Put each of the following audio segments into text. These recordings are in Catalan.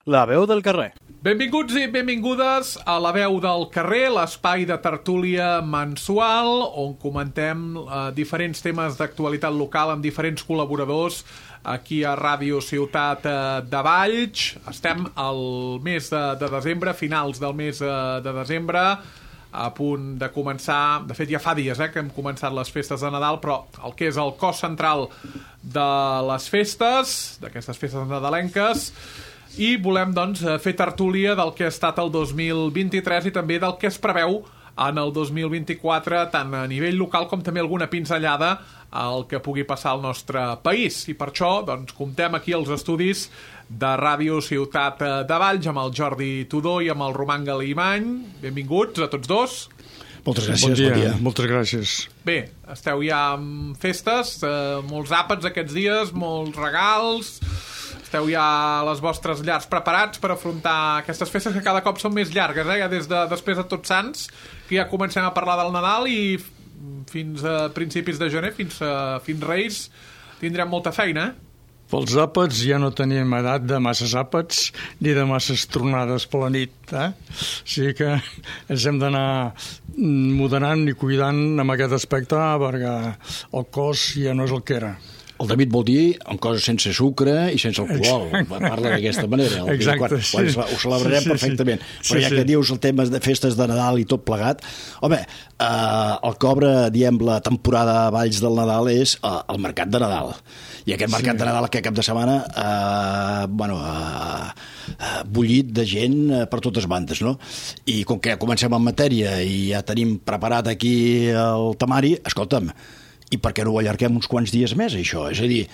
La veu del carrer. Benvinguts i benvingudes a La veu del carrer, l'espai de tertúlia mensual on comentem diferents temes d'actualitat local amb diferents col·laboradors aquí a Ràdio Ciutat de Valls. Estem al mes de desembre, finals del mes de desembre, a punt de començar, de fet ja fa dies que hem començat les festes de Nadal, però el que és el cos central de les festes, d'aquestes festes nadalenques, i volem doncs fer tertúlia del que ha estat el 2023 i també del que es preveu en el 2024, tant a nivell local com també alguna pinzellada al que pugui passar al nostre país. I per això doncs comptem aquí als estudis de Ràdio Ciutat de Valls amb el Jordi Tudó i amb el Roman Galimany. Benvinguts a tots dos. Moltes gràcies, bon dia. Moltes gràcies. Bé, esteu ja amb festes, molts àpats aquests dies, molts regals. Esteu ja a les vostres llars preparats per afrontar aquestes festes que cada cop són més llargues, ja des de després de Tots Sants, que ja comencem a parlar del Nadal i fins a principis de gener, fins Reis, tindrem molta feina, Pels àpats ja no tenim edat de masses àpats ni de masses tronades per la nit, O sigui que ens hem d'anar moderant i cuidant amb aquest aspecte perquè el cos ja no és el que era. El David vol dir en coses sense sucre i sense alcohol. Parla d'aquesta manera. Exacte. Quan ho celebrarem perfectament. Però ja que dius el tema de festes de Nadal i tot plegat, home, el que obre, diem, la temporada a Valls del Nadal és el mercat de Nadal. I aquest mercat de Nadal aquest cap de setmana bullit de gent per totes bandes, no? I com que comencem en matèria i ja tenim preparat aquí el temari, escolta'm, i per què no ho allarguem uns quants dies més, això? És a dir,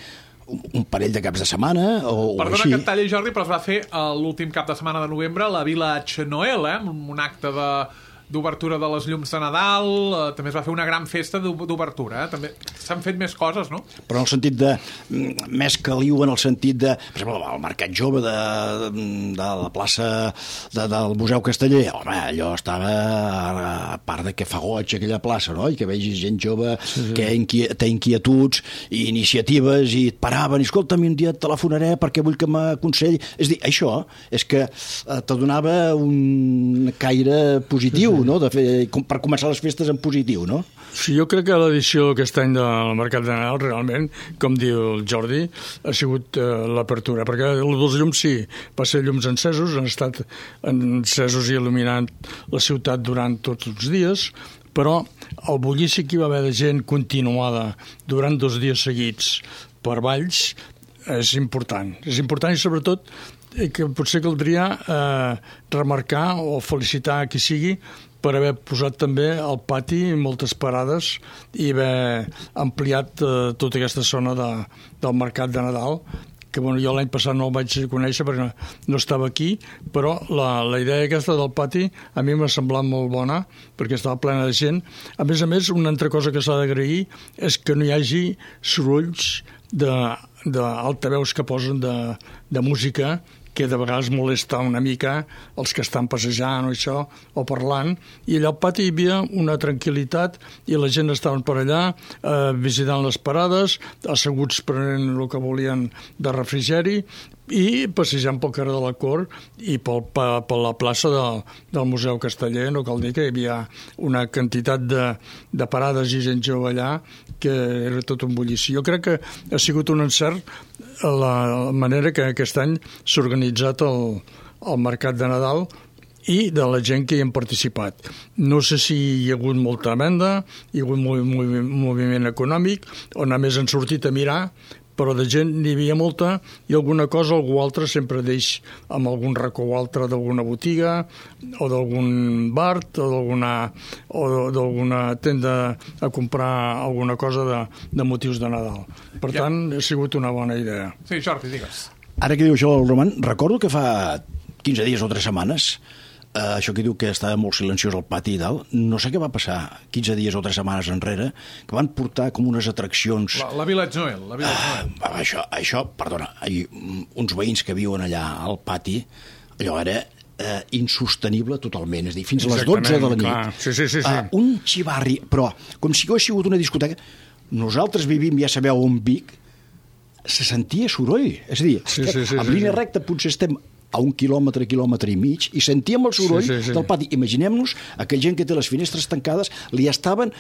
un parell de caps de setmana o Perdona així. que et talli, Jordi, però es va fer l'últim cap de setmana de novembre la Village Noel, un acte d'obertura de les llums de Nadal, també es va fer una gran festa d'obertura, també s'han fet més coses, no? Però en el sentit de, més caliu en el sentit de, per exemple, el mercat jove de la plaça del Museu Casteller, home, allò estava, a part de que fa goig aquella plaça, no? I que vegis gent jove que té inquietuds i iniciatives i et paraven, i escolta'm, un dia et telefonaré perquè vull que m'aconselli. És a dir, això és que te donava un caire positiu, no? Per començar les festes en positiu, no? Sí, jo crec que l'edició aquest any del Mercat de Nadal realment, com diu el Jordi, ha sigut l'apertura, perquè els llums sí, va ser llums encesos, han estat encesos i il·luminant la ciutat durant tots els dies, però el bullici que hi va haver de gent continuada durant 2 dies seguits per Valls és important. És important i sobretot que potser caldria remarcar o felicitar qui sigui per haver posat també al pati moltes parades i haver ampliat tota aquesta zona del Mercat de Nadal, que jo l'any passat no el vaig conèixer perquè no estava aquí, però la idea aquesta del pati a mi m'ha semblat molt bona perquè estava plena de gent. A més, una altra cosa que s'ha d'agrair és que no hi hagi sorolls d'altaveus que posen de música que de vegades molesta una mica els que estan passejant o això, o parlant, i allà al pati hi havia una tranquil·litat i la gent estaven per allà visitant les parades, asseguts prenent el que volien de refrigeri i passejant pel carrer de la Cort i per la plaça del Museu Casteller. No cal dir que hi havia una quantitat de parades i gent jove allà que era tot un bullici. Jo crec que ha sigut un encert la manera que aquest any s'ha organitzat el Mercat de Nadal i de la gent que hi han participat. No sé si hi ha hagut molta venda, hi ha hagut moviment econòmic, on a més han sortit a mirar, però de gent n'hi havia molta i alguna cosa, algú altre sempre deix amb algun racó altre d'alguna botiga o d'algun bar o d'alguna tenda a comprar alguna cosa de motius de Nadal. Per tant, ha sigut una bona idea. Sí, Jordi, digues. Ara que diu això el Roman, recordo que fa 15 dies o 3 setmanes això que diu que estava molt silenciós al pati i tal, no sé què va passar 15 dies o 3 setmanes enrere, que van portar com unes atraccions... La Village Noel. Això, perdona, uns veïns que viuen allà al pati, allò era insostenible totalment, és a dir, fins a les 12 de la nit. Sí. Un xivarri, però com si hagués sigut una discoteca. Nosaltres vivim, ja sabeu, on Vic, se sentia soroll, és a dir, en línia recta potser estem a 1 quilòmetre i mig, i sentíem el soroll del pati. Imaginem-nos, aquella gent que té les finestres tancades li estaven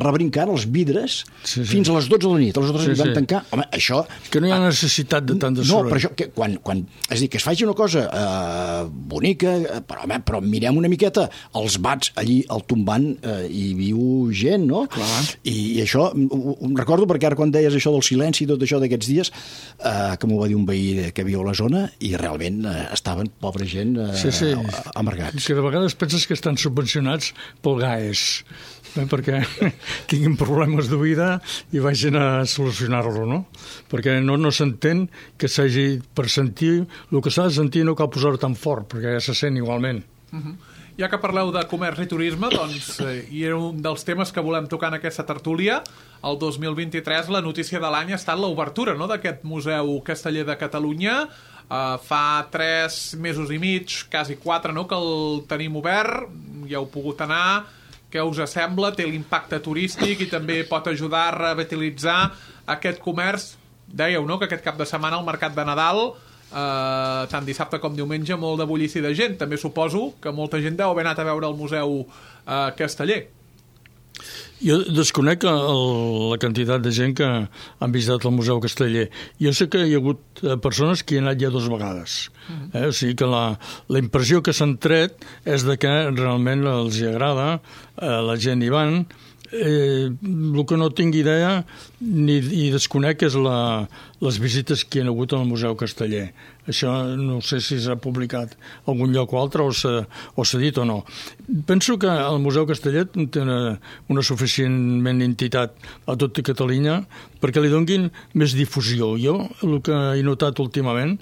rebrincant els vidres fins a les 12 de la nit. A les 12 van tancar. Home, això... Que no hi ha necessitat de tant de soroll. No, però això, que és a dir, que es faci una cosa bonica, però mirem una miqueta els bats allí al tombant, hi viu gent, no? Clar. I això, recordo perquè ara quan deies això del silenci i tot això d'aquests dies, que m'ho va dir un veí que viu a la zona, i realment estaven, pobra gent, amargats. Que de vegades penses que estan subvencionats pel GAES, perquè tinguin problemes de vida i vagin a solucionar-lo, no? Perquè no s'entén que s'hagi, per sentir el que s'ha de sentir no cal posar-ho tan fort, perquè ja se sent igualment. Ja que parleu de comerç i turisme, doncs, i era un dels temes que volem tocar en aquesta tertúlia, el 2023 la notícia de l'any ha estat l'obertura, no?, d'aquest Museu Casteller de Catalunya. Fa 3 mesos i mig, quasi 4, no?, que el tenim obert, ja heu pogut anar. Què us sembla? Té l'impacte turístic i també pot ajudar a revitalitzar aquest comerç. Dèieu, no?, que aquest cap de setmana al Mercat de Nadal, tant dissabte com diumenge, molt de bullici de gent. També suposo que molta gent deu haver anat a veure el Museu Casteller. Jo desconec la quantitat de gent que han visitat el Museu Casteller. Jo sé que hi ha hagut persones que hi han anat ja 2 vegades. O sigui que la impressió que s'han tret és de que realment els agrada, la gent hi van. El que no tinc idea ni desconec és les visites que hi ha hagut al Museu Casteller. Això no sé si s'ha publicat a algun lloc o altre o s'ha dit o no. Penso que el Museu Casteller té una suficientment entitat a tota Catalunya perquè li donguin més difusió. Jo el que he notat últimament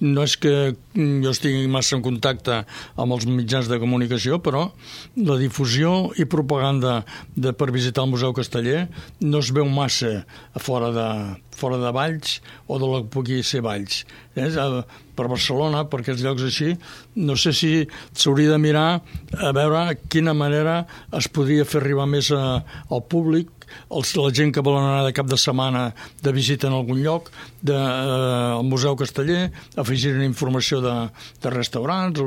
no és que jo estigui massa en contacte amb els mitjans de comunicació, però la difusió i propaganda per visitar el Museu Casteller no es veu massa fora de Valls o de la que pugui ser Valls. Per Barcelona, per aquests llocs així, no sé si s'hauria de mirar a veure quina manera es podria fer arribar més al públic, la gent que volen anar de cap de setmana de visita en algun lloc, al Museu Casteller, afegir una informació de restaurants,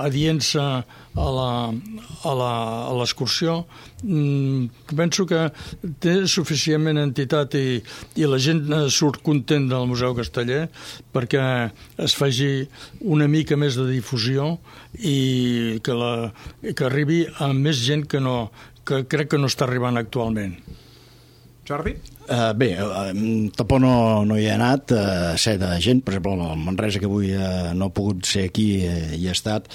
adient-se a l'excursió. Penso que té suficientment entitat i la gent surt content del Museu Casteller perquè es faci una mica més de difusió i que arribi a més gent que crec que no està arribant actualment. Jordi? Bé, tampoc no hi he anat, sé de gent, per exemple, el Manresa, que avui no ha pogut ser aquí, hi ha estat.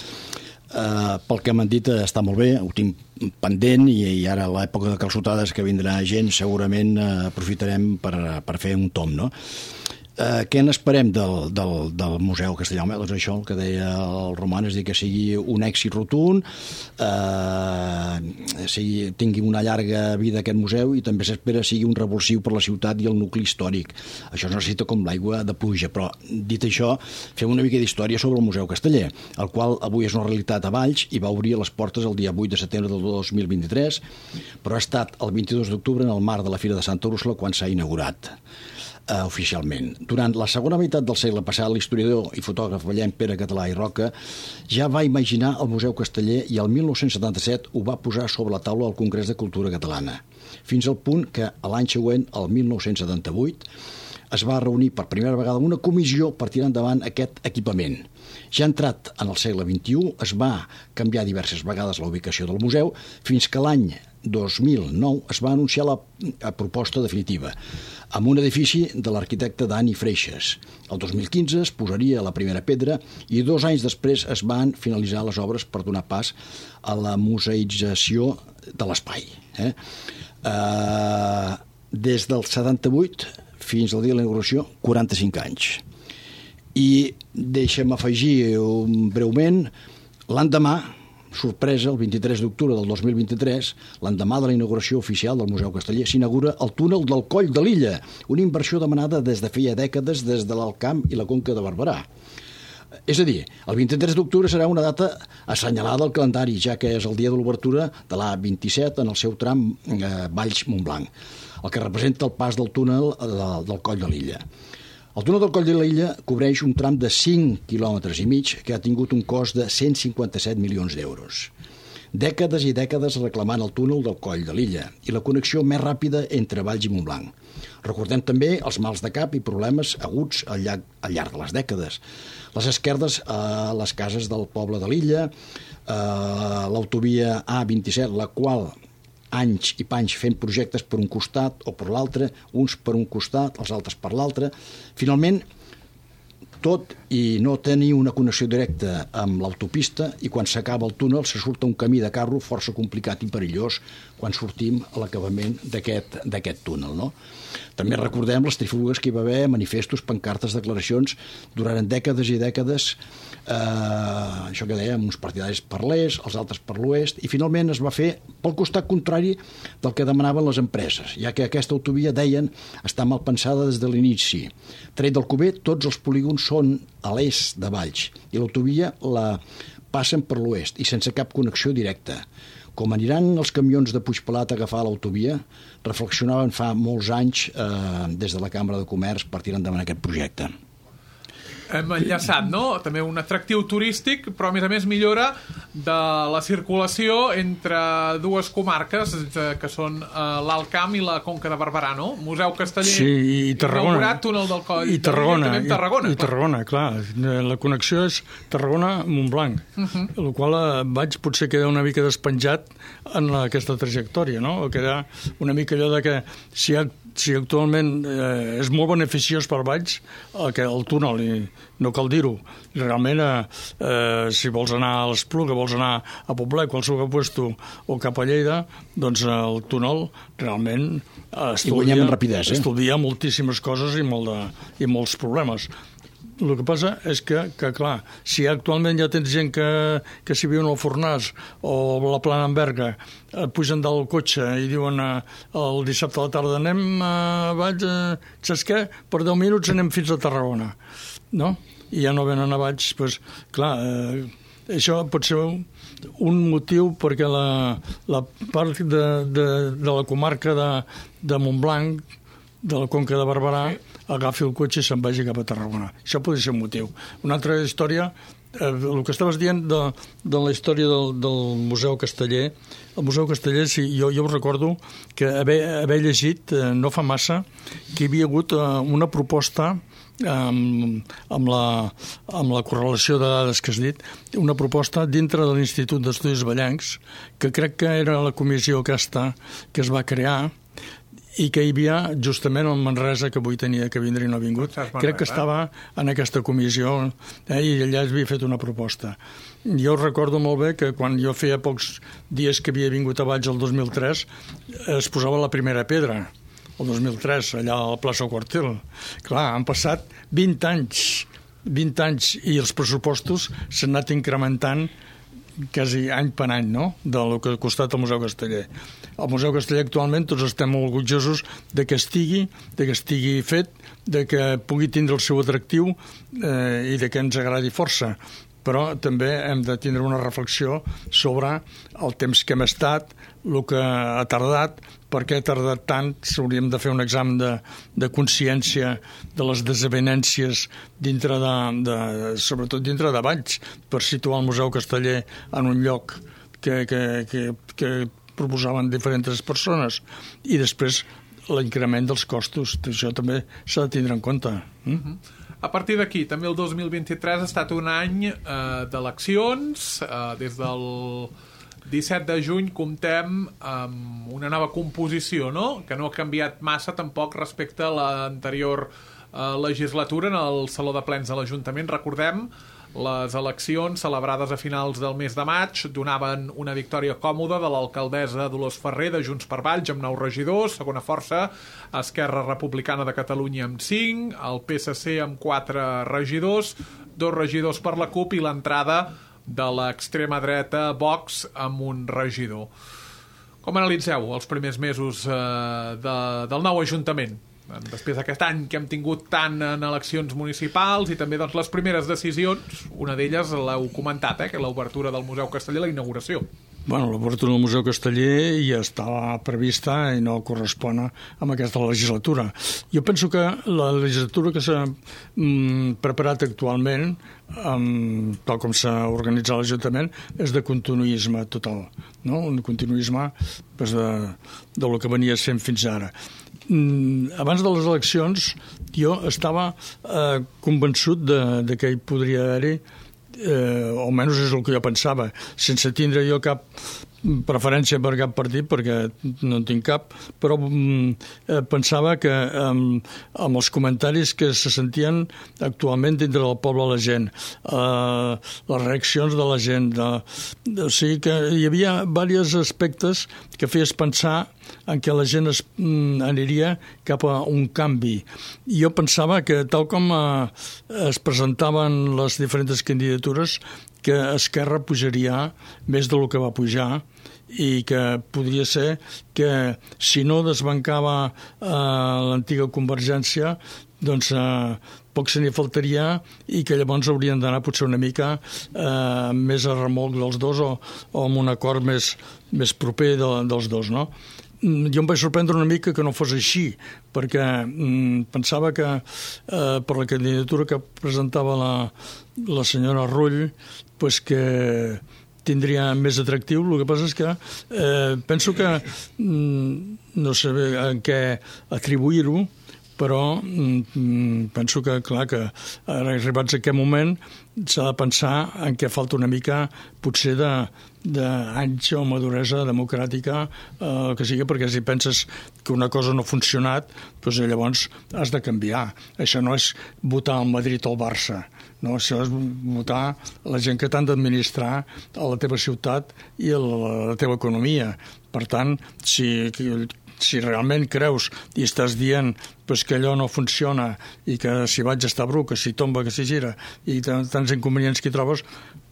Pel que m'han dit està molt bé, ho tinc pendent i ara a l'època de calçotades que vindrà gent segurament aprofitarem per fer un tom, no? Què n'esperem del Museu Castellà? Doncs això, el que deia el Roman, és dir, que sigui un èxit rotund, tingui una llarga vida aquest museu i també s'espera sigui un revulsiu per la ciutat i el nucli històric. Això es necessita com l'aigua de pluja, però dit això, fem una mica d'història sobre el Museu Casteller, el qual avui és una realitat a Valls i va obrir les portes el dia 8 de setembre del 2023, però ha estat el 22 d'octubre en el marc de la Fira de Santa Úrsula quan s'ha inaugurat oficialment. Durant la segona meitat del segle passat, l'historiador i fotògraf vallenc Pere Català i Roca ja va imaginar el Museu Casteller i el 1977 ho va posar sobre la taula al Congrés de Cultura Catalana, fins al punt que l'any següent, el 1978, es va reunir per primera vegada una comissió per tirar endavant aquest equipament. Ja entrat en el segle XXI, es va canviar diverses vegades la ubicació del museu, fins que l'any 2009 es va anunciar la proposta definitiva, amb un edifici de l'arquitecte Dani Freixas. El 2015 es posaria la primera pedra i 2 anys després es van finalitzar les obres per donar pas a la museïtzació de l'espai. Des del 78 fins al dia de la inauguració, 45 anys. I deixa'm afegir breument, l'endemà, sorpresa, el 23 d'octubre del 2023, l'endemà de la inauguració oficial del Museu Casteller, s'inaugura el túnel del Coll de l'Illa, una inversió demanada des de feia dècades des de l'Alt Camp i la Conca de Barberà. És a dir, el 23 d'octubre serà una data assenyalada al calendari, ja que és el dia de l'obertura de l'A27 en el seu tram Valls-Montblanc, el que representa el pas del túnel del Coll de l'Illa. El túnel del Coll de l'Illa cobreix un tram de 5,5 quilòmetres que ha tingut un cost de 157 milions d'euros. Dècades i dècades reclamant el túnel del Coll de l'Illa i la connexió més ràpida entre Valls i Montblanc. Recordem també els mals de cap i problemes aguts al llarg de les dècades. Les esquerdes a les cases del poble de l'Illa, l'autovia A27, la qual anys i panys fent projectes per un costat o per l'altre, uns per un costat, els altres per l'altre. Finalment, tot i no tenir una connexió directa amb l'autopista, i quan s'acaba el túnel se surt un camí de carro força complicat i perillós quan sortim a l'acabament d'aquest túnel, no? També recordem les trifulgues que hi va haver, manifestos, pancartes, declaracions, durant dècades i dècades, això que dèiem, uns partidaris per l'est, els altres per l'oest, i finalment es va fer pel costat contrari del que demanaven les empreses, ja que aquesta autovia, deien, està mal pensada des de l'inici. Tret del Cuber, tots els polígons són a l'est de Valls, i l'autovia la passen per l'oest, i sense cap connexió directa. Com aniran els camions de Puigpelat a agafar l'autovia, reflexionaven fa molts anys des de la Cambra de Comerç per tirar endavant aquest projecte. Hem enllaçat, no? També un atractiu turístic, però a més millora de la circulació entre dues comarques, que són l'Alt Camp i la Conca de Barberà, no? Museu Casteller, sí, i Tarragona, inaugurat, túnel del Coll, i Tarragona, també Tarragona. I Tarragona, clar. La connexió és Tarragona-Montblanc, el qual vaig potser quedar una mica despenjat en aquesta trajectòria, no? O quedar una mica allò de que si actualment és molt beneficiós per Valls el túnel, i no cal dir-ho. Realment, si vols anar a l'Espluga, vols anar a Poblet, qualsevol puesto, o cap a Lleida, doncs el túnel realment estalvia moltíssimes coses i molts problemes. El que passa és que clar, si actualment ja tens gent que s'hi viu en el Fornàs o la Plana en Berga, pugen del cotxe i diuen el dissabte a la tarda anem a Valls, saps què? Per 10 minuts anem fins a Tarragona, no? I ja no venen a Valls, doncs clar, això pot ser un motiu perquè la part de la comarca de Montblanc, de la Conca de Barberà, agafi el cotxe i se'n vagi cap a Tarragona. Això podria ser un motiu. Una altra història, el que estaves dient de la història del Museu Casteller, el Museu Casteller, sí, jo ho recordo que haver llegit no fa massa que hi havia hagut una proposta amb la correlació de dades que has dit, una proposta dintre de l'Institut d'Estudis Vallencs, que crec que era la comissió aquesta que es va crear i que hi havia justament el Manresa, que avui tenia que vindre i no ha vingut. Crec que estava en aquesta comissió i allà es havia fet una proposta. Jo recordo molt bé que quan jo feia pocs dies que havia vingut a Valls el 2003 es posava la primera pedra, el 2003, allà a la plaça Quartel. Clar, han passat 20 anys i els pressupostos s'han anat incrementant quasi any per any, no?, del que ha costat el Museu Casteller. El Museu Casteller actualment tots estem molt orgullosos de que estigui fet, de que pugui tindre el seu atractiu i de que ens agradi força. Però també hem de tindre una reflexió sobre el temps que hem estat, el que ha tardat, per què ha tardat tant. Hauríem de fer un examen de consciència de les desavenències sobretot dintre de Valls, per situar el Museu Casteller en un lloc que proposaven diferents persones, i després l'increment dels costos. Això també s'ha de tindre en compte. A partir d'aquí, també el 2023 ha estat un any d'eleccions. Des del 17 de juny comptem amb una nova composició, no?, que no ha canviat massa tampoc respecte a l'anterior legislatura en el Saló de Plens de l'Ajuntament. Recordem, les eleccions celebrades a finals del mes de maig donaven una victòria còmoda de l'alcaldessa Dolors Ferrer de Junts per Valls amb 9 regidors, segona força Esquerra Republicana de Catalunya amb 5, el PSC amb 4 regidors, 2 regidors per la CUP i l'entrada de l'extrema dreta Vox amb un regidor. Com analitzeu els primers mesos del nou Ajuntament? Després d'aquest any que hem tingut tant en eleccions municipals i també les primeres decisions, una d'elles l'heu comentat, que l'obertura del Museu Casteller, la inauguració. Bueno, l'obertura del Museu Casteller ja estava prevista i no correspon amb aquesta legislatura. Jo penso que la legislatura que s'ha preparat actualment, tal com s'ha organitzat l'Ajuntament, és de continuisme total, no? Un continuisme de lo que venia sent fins ara. Abans de les eleccions jo estava convençut de que hi podria haver-hi, o almenys és el que jo pensava, sense tindre jo cap preferència per cap partit, perquè no en tinc cap, però pensava que amb els comentaris que se sentien actualment dintre del poble la gent, les reaccions de la gent, o sigui que hi havia diversos aspectes que feies pensar en què la gent aniria cap a un canvi. Jo pensava que tal com es presentaven les diferents candidatures, que Esquerra pujaria més del que va pujar i que podria ser que si no desbancava l'antiga Convergència, doncs poc se n'hi faltaria i que llavors haurien d'anar potser una mica més a remolc dels dos o amb un acord més proper dels dos, no? Jo em vaig sorprendre una mica que no fos així, perquè pensava que per la candidatura que presentava la senyora Rull, pues que tindria més atractiu. El que passa és que penso que no sé en què atribuir-ho, però penso que, clar, que ara arribats a aquest moment s'ha de pensar en què falta una mica potser d'anys o maduresa democràtica, que sigui, perquè si penses que una cosa no ha funcionat, doncs llavors has de canviar. Això no és votar al Madrid o al Barça, no? Això és votar la gent que t'han d'administrar a la teva ciutat i a la teva economia. Per tant, si realment creus i estàs dient pues, que allò no funciona i que si vaig estar bru, que si tomba, que si gira i tants inconvenients que hi trobes,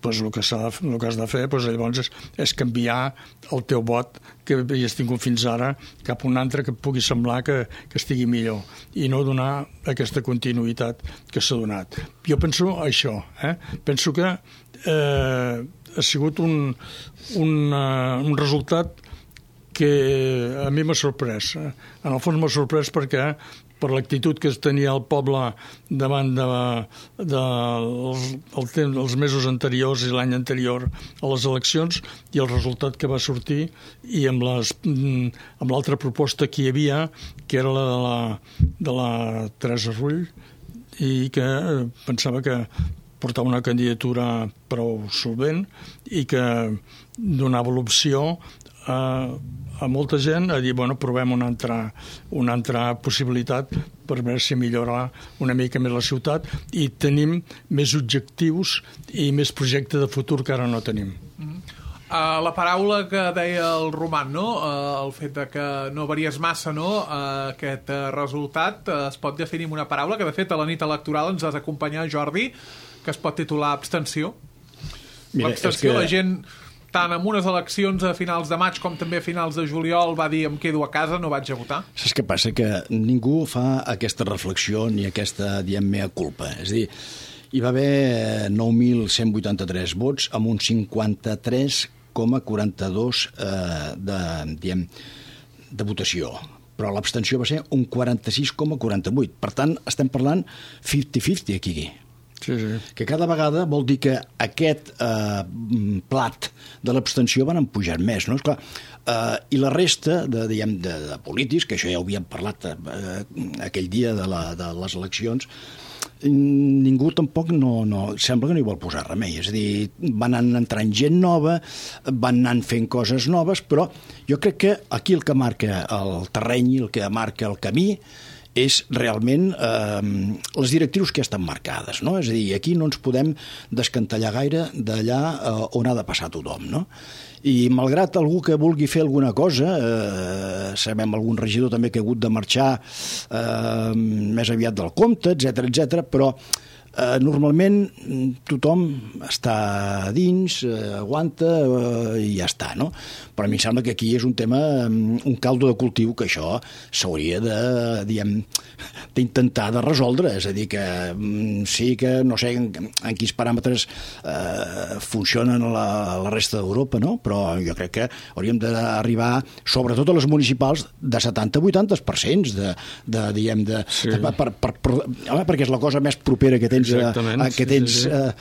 pues, el que has de fer pues, llavors és canviar el teu vot que havies tingut fins ara cap a un altre que et pugui semblar que estigui millor i no donar aquesta continuïtat que s'ha donat. Jo penso això, penso que ha sigut un resultat que a mi m'ha sorprès. En el fons m'ha sorprès perquè per l'actitud que tenia el poble davant dels mesos anteriors i l'any anterior a les eleccions i el resultat que va sortir i amb l'altra proposta que hi havia, que era la de la Teresa Rull, i que pensava que portava una candidatura prou solvent i que donava l'opció a molta gent a dir, bueno, provem una altra possibilitat per veure si millora una mica més la ciutat i tenim més objectius i més projecte de futur que ara no tenim. La paraula que deia el Roman, no? El fet de que no varies massa, no? Aquest resultat es pot definir amb una paraula que de fet a la nit electoral ens has d'acompanyar, Jordi, que es pot titular abstenció. L'abstenció, la gent tant en unes eleccions a finals de maig com també a finals de juliol va dir em quedo a casa, no vaig a votar. Saps què passa? Que ningú fa aquesta reflexió ni aquesta, diguem, mea culpa. És a dir, hi va haver 9.183 vots amb un 53,42 de votació. Però l'abstenció va ser un 46,48. Per tant, estem parlant 50-50 aquí. Sí. Que cada vegada vol dir que aquest plat de l'abstenció van pujar més, no? Esclar, i la resta de polítics, que això ja ho havíem parlat aquell dia de les eleccions, ningú tampoc sembla que no hi vol posar remei. És a dir, van anar entrant gent nova, van anar fent coses noves, però jo crec que aquí el que marca el terreny, el que marca el camí, és realment les directrius que estan marcades, no? És a dir, aquí no ens podem descantellar gaire d'allà on ha de passar tothom, no? I malgrat algú que vulgui fer alguna cosa, sabem algun regidor també que ha hagut de marxar més aviat del compte, etc, però Normalment tothom està dins, aguanta i ja està, no? Però a mi em sembla que aquí és un tema, un caldo de cultiu, que això s'hauria d'intentar de resoldre. És a dir, que sí que no sé en quins paràmetres funcionen a la resta d'Europa, no? Però jo crec que hauríem d'arribar, sobretot a les municipals, de 70-80% perquè és la cosa més propera que tens a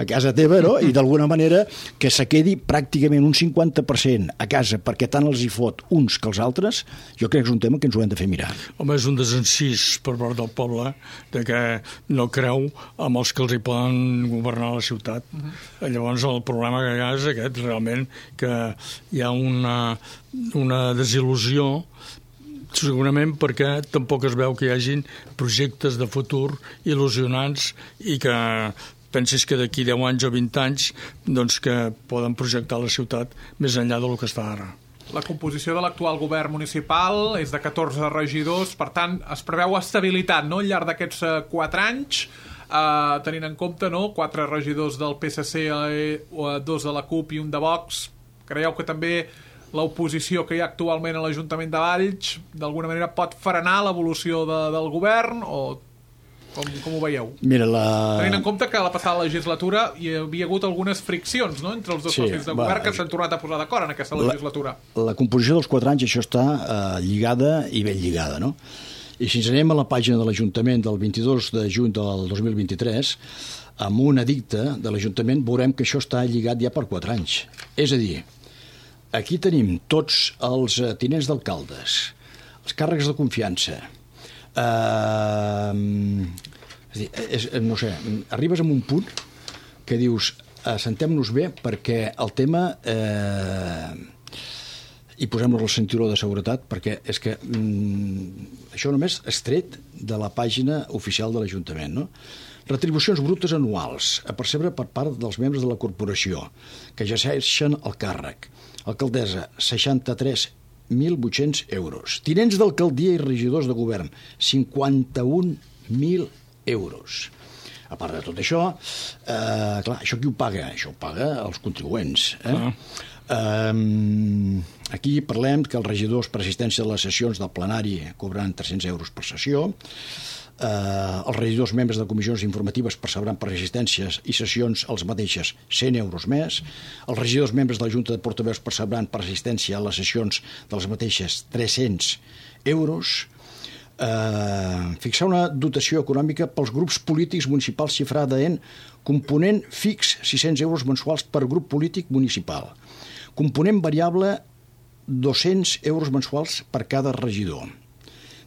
casa teva, no? I d'alguna manera que se quedi pràcticament un 50% a casa, perquè tant els hi fot uns que els altres, jo crec que és un tema que ens ho hem de fer mirar. Home, és un desencís per part del poble de que no creu amb els que els hi poden governar la ciutat. Llavors el problema que hi ha és aquest, realment, que hi ha una desil·lusió, segurament perquè tampoc es veu que hi hagin projectes de futur il·lusionants i que pensis que d'aquí 10 anys o 20 anys doncs que poden projectar la ciutat més enllà del que està ara. La composició de l'actual govern municipal és de 14 regidors, per tant es preveu estabilitat, no?, al llarg d'aquests 4 anys, tenint en compte, no?, 4 regidors del PSC, 2 de la CUP i un de Vox. Creieu que també l'oposició que hi ha actualment a l'Ajuntament de Valls d'alguna manera pot frenar l'evolució del govern, o com ho veieu? Mira, tenint en compte que a la passada legislatura hi havia hagut algunes friccions, no?, entre els dos socis de govern que s'han tornat a posar d'acord en aquesta legislatura. La composició dels 4 anys, això està lligada i ben lligada, no? I si ens anem a la pàgina de l'Ajuntament del 22 de juny del 2023, amb un edicte de l'Ajuntament veurem que això està lligat ja per 4 anys. És a dir, aquí tenim tots els tinents d'alcaldes, els càrrecs de confiança. No sé, arribes a un punt que dius, assentem-nos bé perquè el tema i posem-nos el cinturó de seguretat, perquè és que això només és tret de la pàgina oficial de l'Ajuntament, no? Retribucions brutes anuals a percebre per part dels membres de la corporació que exerceixen el càrrec. Alcaldessa, 63.800 euros. Tinents d'alcaldia i regidors de govern, 51.000 euros. A part de tot això, clar, això qui ho paga? Això ho paga els contribuents. Aquí parlem que els regidors per assistència a les sessions del plenari cobraran 300 euros per sessió. Els regidors membres de comissions informatives percebran per assistències i sessions els mateixes 100 euros més. Els regidors membres de la Junta de Portaveus percebran per assistència a les sessions de les mateixes 300 euros. Fixar una dotació econòmica pels grups polítics municipals xifrada en component fix 600 euros mensuals per grup polític municipal. Component variable 200 euros mensuals per cada regidor.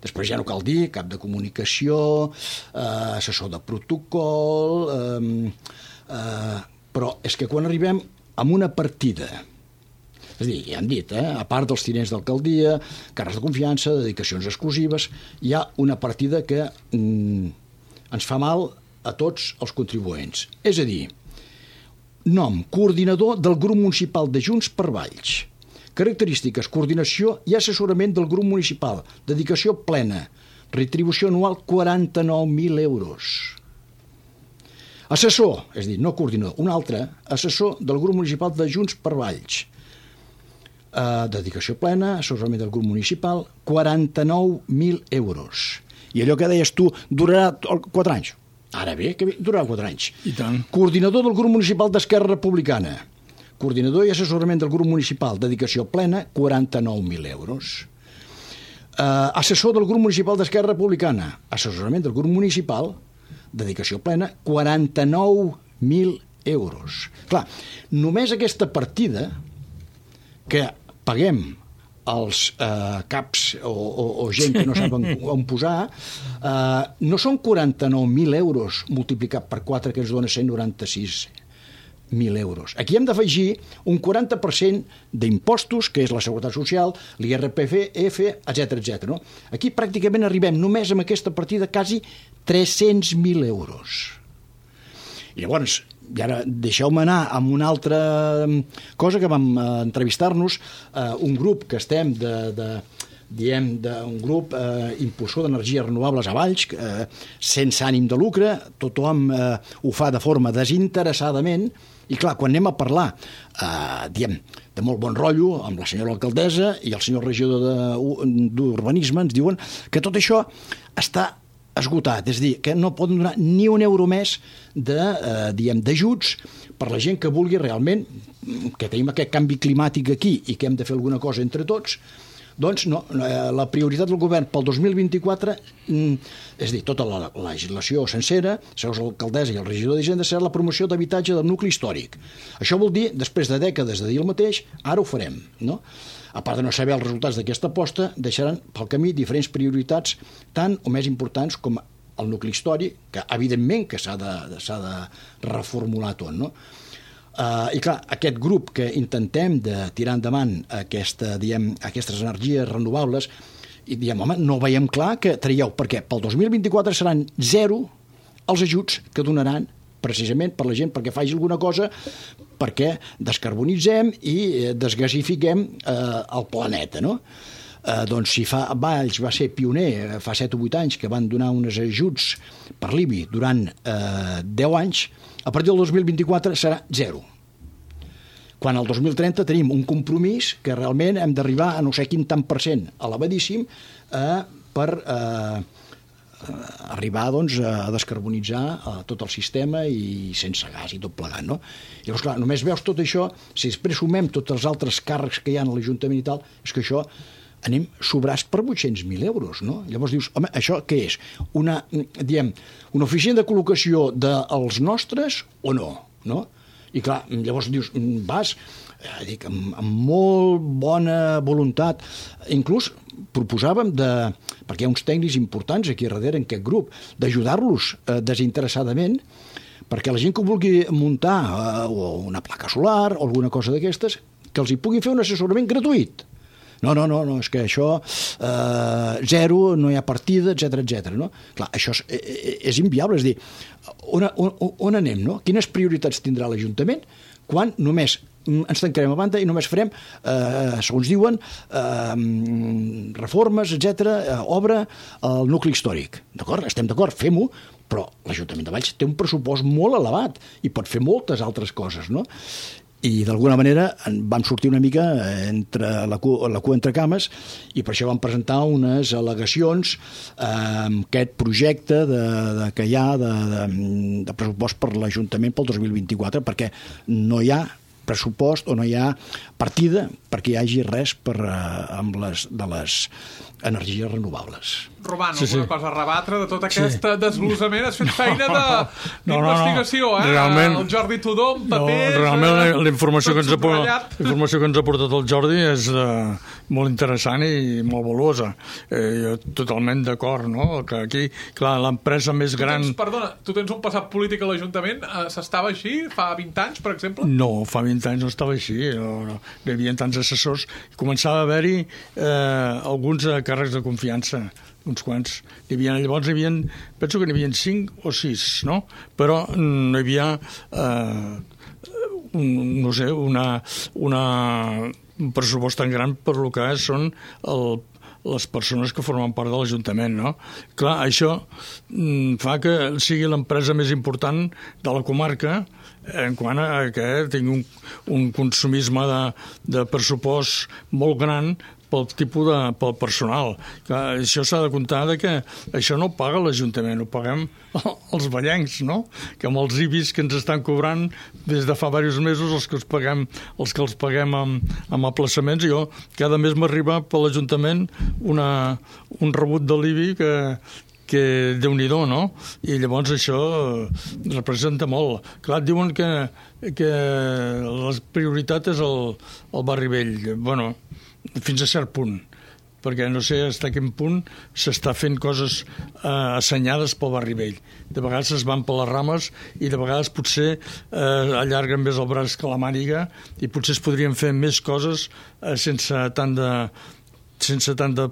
Després ja no cal dir cap de comunicació, assessor de protocol, però és que quan arribem a una partida, és a dir, ja hem dit, a part dels tinents d'alcaldia, càrrecs de confiança, dedicacions exclusives, hi ha una partida que ens fa mal a tots els contribuents. És a dir, nom, coordinador del grup municipal de Junts per Valls. Característiques, coordinació i assessorament del grup municipal. Dedicació plena. Retribució anual 49.000 euros. Assessor, és a dir, no coordinador, un altre, assessor del grup municipal de Junts per Valls. Dedicació plena, assessorament del grup municipal, 49.000 euros. I allò que deies tu, durarà 4 anys. Ara bé, que durarà 4 anys. I tant. Coordinador del grup municipal d'Esquerra Republicana. Coordinador i assessorament del grup municipal, dedicació plena, 49.000 euros. Assessor del grup municipal d'Esquerra Republicana, assessorament del grup municipal, dedicació plena, 49.000 euros. Clar, només aquesta partida que paguem els caps o gent que no saben on posar, no són 49.000 euros multiplicat per 4, que ens dona 196.000 euros. Aquí hem d'afegir un 40% d'impostos, que és la Seguretat Social, l'IRPF, etc. No? Aquí pràcticament arribem només amb aquesta partida quasi 300.000 euros. I llavors, i ara deixeu-me anar amb una altra cosa que vam entrevistar-nos, un grup que estem diem, d'un grup impulsor d'energies renovables a Valls, sense ànim de lucre, tothom ho fa de forma desinteressadament, i clar, quan anem a parlar, diem, de molt bon rotllo, amb la senyora alcaldessa i el senyor regidor d'Urbanisme, ens diuen que tot això està esgotat, és a dir, que no poden donar ni un euro més d'ajuts per la gent que vulgui realment, que tenim aquest canvi climàtic aquí i que hem de fer alguna cosa entre tots. Doncs no, la prioritat del govern pel 2024, és a dir, tota la legislació sencera, segons l'alcaldessa i el regidor d'Hisenda, serà la promoció d'habitatge del nucli històric. Això vol dir, després de dècades de dir el mateix, ara ho farem, no? A part de no saber els resultats d'aquesta aposta, deixaran pel camí diferents prioritats tan o més importants com el nucli històric, que evidentment que s'ha de reformular tot, no? I clar, aquest grup que intentem de tirar endavant aquestes energies renovables, i diem, home, no veiem clar que traieu, perquè pel 2024 seran 0 els ajuts que donaran precisament per la gent perquè faci alguna cosa perquè descarbonitzem i desgasifiquem el planeta, no? Doncs si Valls va ser pioner fa 7 o 8 anys que van donar uns ajuts per l'IBI durant 10 anys, a partir del 2024 serà 0. Quan al 2030 tenim un compromís que realment hem d'arribar a no sé quin tant %, elevadíssim, per arribar doncs, a descarbonitzar tot el sistema i sense gas i tot plegat, no? Llavors, clar, només veus tot això, si després sumem tots els altres càrrecs que hi ha a l'Ajuntament i tal, és que això anem sobrats per 800.000 euros, no? Llavors dius, home, això què és? Una oficina de col·locació dels nostres o no? I clar, llavors dius, vas amb molt bona voluntat, inclús proposàvem, perquè hi ha uns tècnics importants aquí darrere en aquest grup, d'ajudar-los desinteressadament perquè la gent que vulgui muntar una placa solar o alguna cosa d'aquestes, que els hi puguin fer un assessorament gratuït. No, és que això 0, no hi ha partida, etc. No? Clar, això és inviable, és a dir, on anem, no? Quines prioritats tindrà l'Ajuntament quan només ens tancarem a banda i només farem, segons diuen, reformes, etc., obra al nucli històric. D'acord? Estem d'acord, fem-ho, però l'Ajuntament de Valls té un pressupost molt elevat i pot fer moltes altres coses, no? I d'alguna manera vam sortir una mica la cua entre cames i per això vam presentar unes al·legacions amb aquest projecte que hi ha de pressupost per l'Ajuntament pel 2024, perquè no hi ha pressupost o no hi ha partida perquè hi hagi res amb de les energies renovables. Robant, alguna cosa a rebatre de tot aquest desglossament? Has fet feina d'investigació, realment, el Jordi Tudó, amb papers... Realment la informació que ens ha portat el Jordi és molt interessant i molt valuosa. Jo totalment d'acord, no? Que aquí, clar, l'empresa més gran... Perdona, tu tens un passat polític a l'Ajuntament? S'estava així fa 20 anys, per exemple? No, fa 20 anys no estava així. No hi havia tants assessors. Començava a haver-hi alguns càrrecs de confiança, uns quants. Llavors penso que n'hi havia 5 o 6, no? Però no hi havia un pressupost tan gran per lo que són les persones que formen part de l'Ajuntament, no? Clar, això fa que sigui l'empresa més important de la comarca en quant a que tingui un consumisme de pressupost molt gran pel tipus pel personal. Clar, això s'ha de comptar que això no ho paga l'Ajuntament, ho paguem els vallencs, no? Que amb els IBIs que ens estan cobrant des de fa diversos mesos, els que els paguem amb aplaçaments, jo cada mes m'arriba per l'Ajuntament un rebut de l'IBI que Déu-n'hi-do, no? I llavors això representa molt. Clar, diuen que la prioritat és el barri vell. Bueno, fins a cert punt, perquè no sé fins a quin punt s'està fent coses assenyades pel barri vell. De vegades es van per les rames i de vegades potser allarguen més el braç que la màniga i potser es podrien fer més coses sense tant sense tant de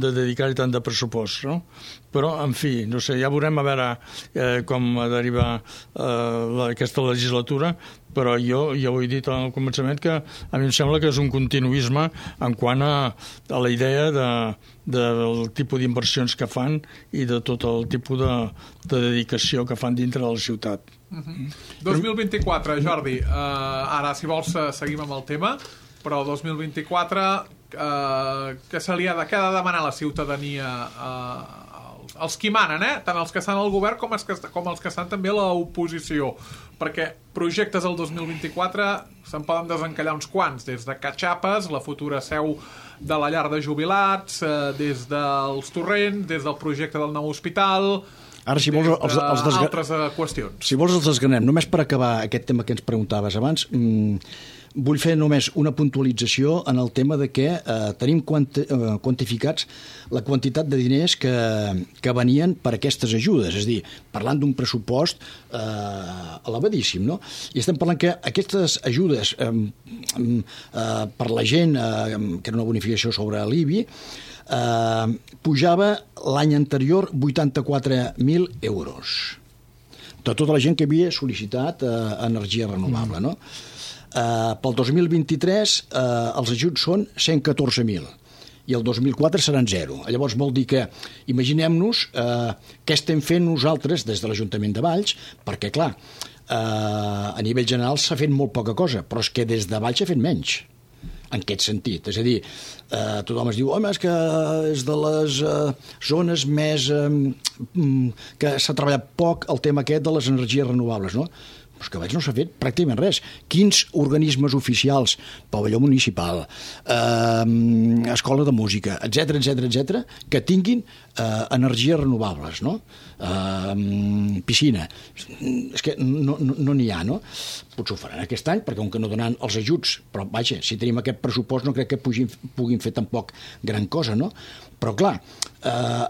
dedicar-hi tant de pressupost, no? Però, en fi, no sé, ja veurem a veure com deriva aquesta legislatura, però jo ho he dit al començament que a mi em sembla que és un continuisme en quant a la idea del tipus d'inversions que fan i de tot el tipus de dedicació que fan dintre de la ciutat. 2024, Jordi, ara si vols seguim amb el tema, però 2024 què ha de demanar la ciutadania els qui manen, tant els que estan al govern com els que estan també a l'oposició, perquè projectes del 2024 se'n poden desencallar uns quants, des de Catxapes, la futura seu de la llar de jubilats, des dels torrents, des del projecte del nou hospital, ara, si vols, altres qüestions. Si vols els desgranem, només per acabar aquest tema que ens preguntaves abans, vull fer només una puntualització en el tema de que tenim quantificats la quantitat de diners que venien per aquestes ajudes, és a dir, parlant d'un pressupost elevadíssim, no? I estem parlant que aquestes ajudes per la gent, que era una bonificació sobre l'IBI, pujava l'any anterior 84.000 euros de tota la gent que havia sol·licitat energia renovable, no? Pel 2023 els ajuts són 114.000 i el 2004 seran 0. Llavors vol dir que imaginem-nos què estem fent nosaltres des de l'Ajuntament de Valls, perquè clar, a nivell general s'ha fet molt poca cosa, però és que des de Valls s'ha fet menys en aquest sentit. És a dir, tothom es diu, home, és que és de les zones més que s'ha treballat poc el tema aquest de les energies renovables, no? Però que Valls no s'ha fet pràcticament res. Quins organismes oficials, pavelló municipal, escola de música, etc, que tinguin energies renovables, no? Piscina. És que no n'hi ha, no? Potser ho faran aquest any, perquè com que no donaran els ajuts, però vaja, si tenim aquest pressupost no crec que puguin fer tampoc gran cosa, no? Però clar,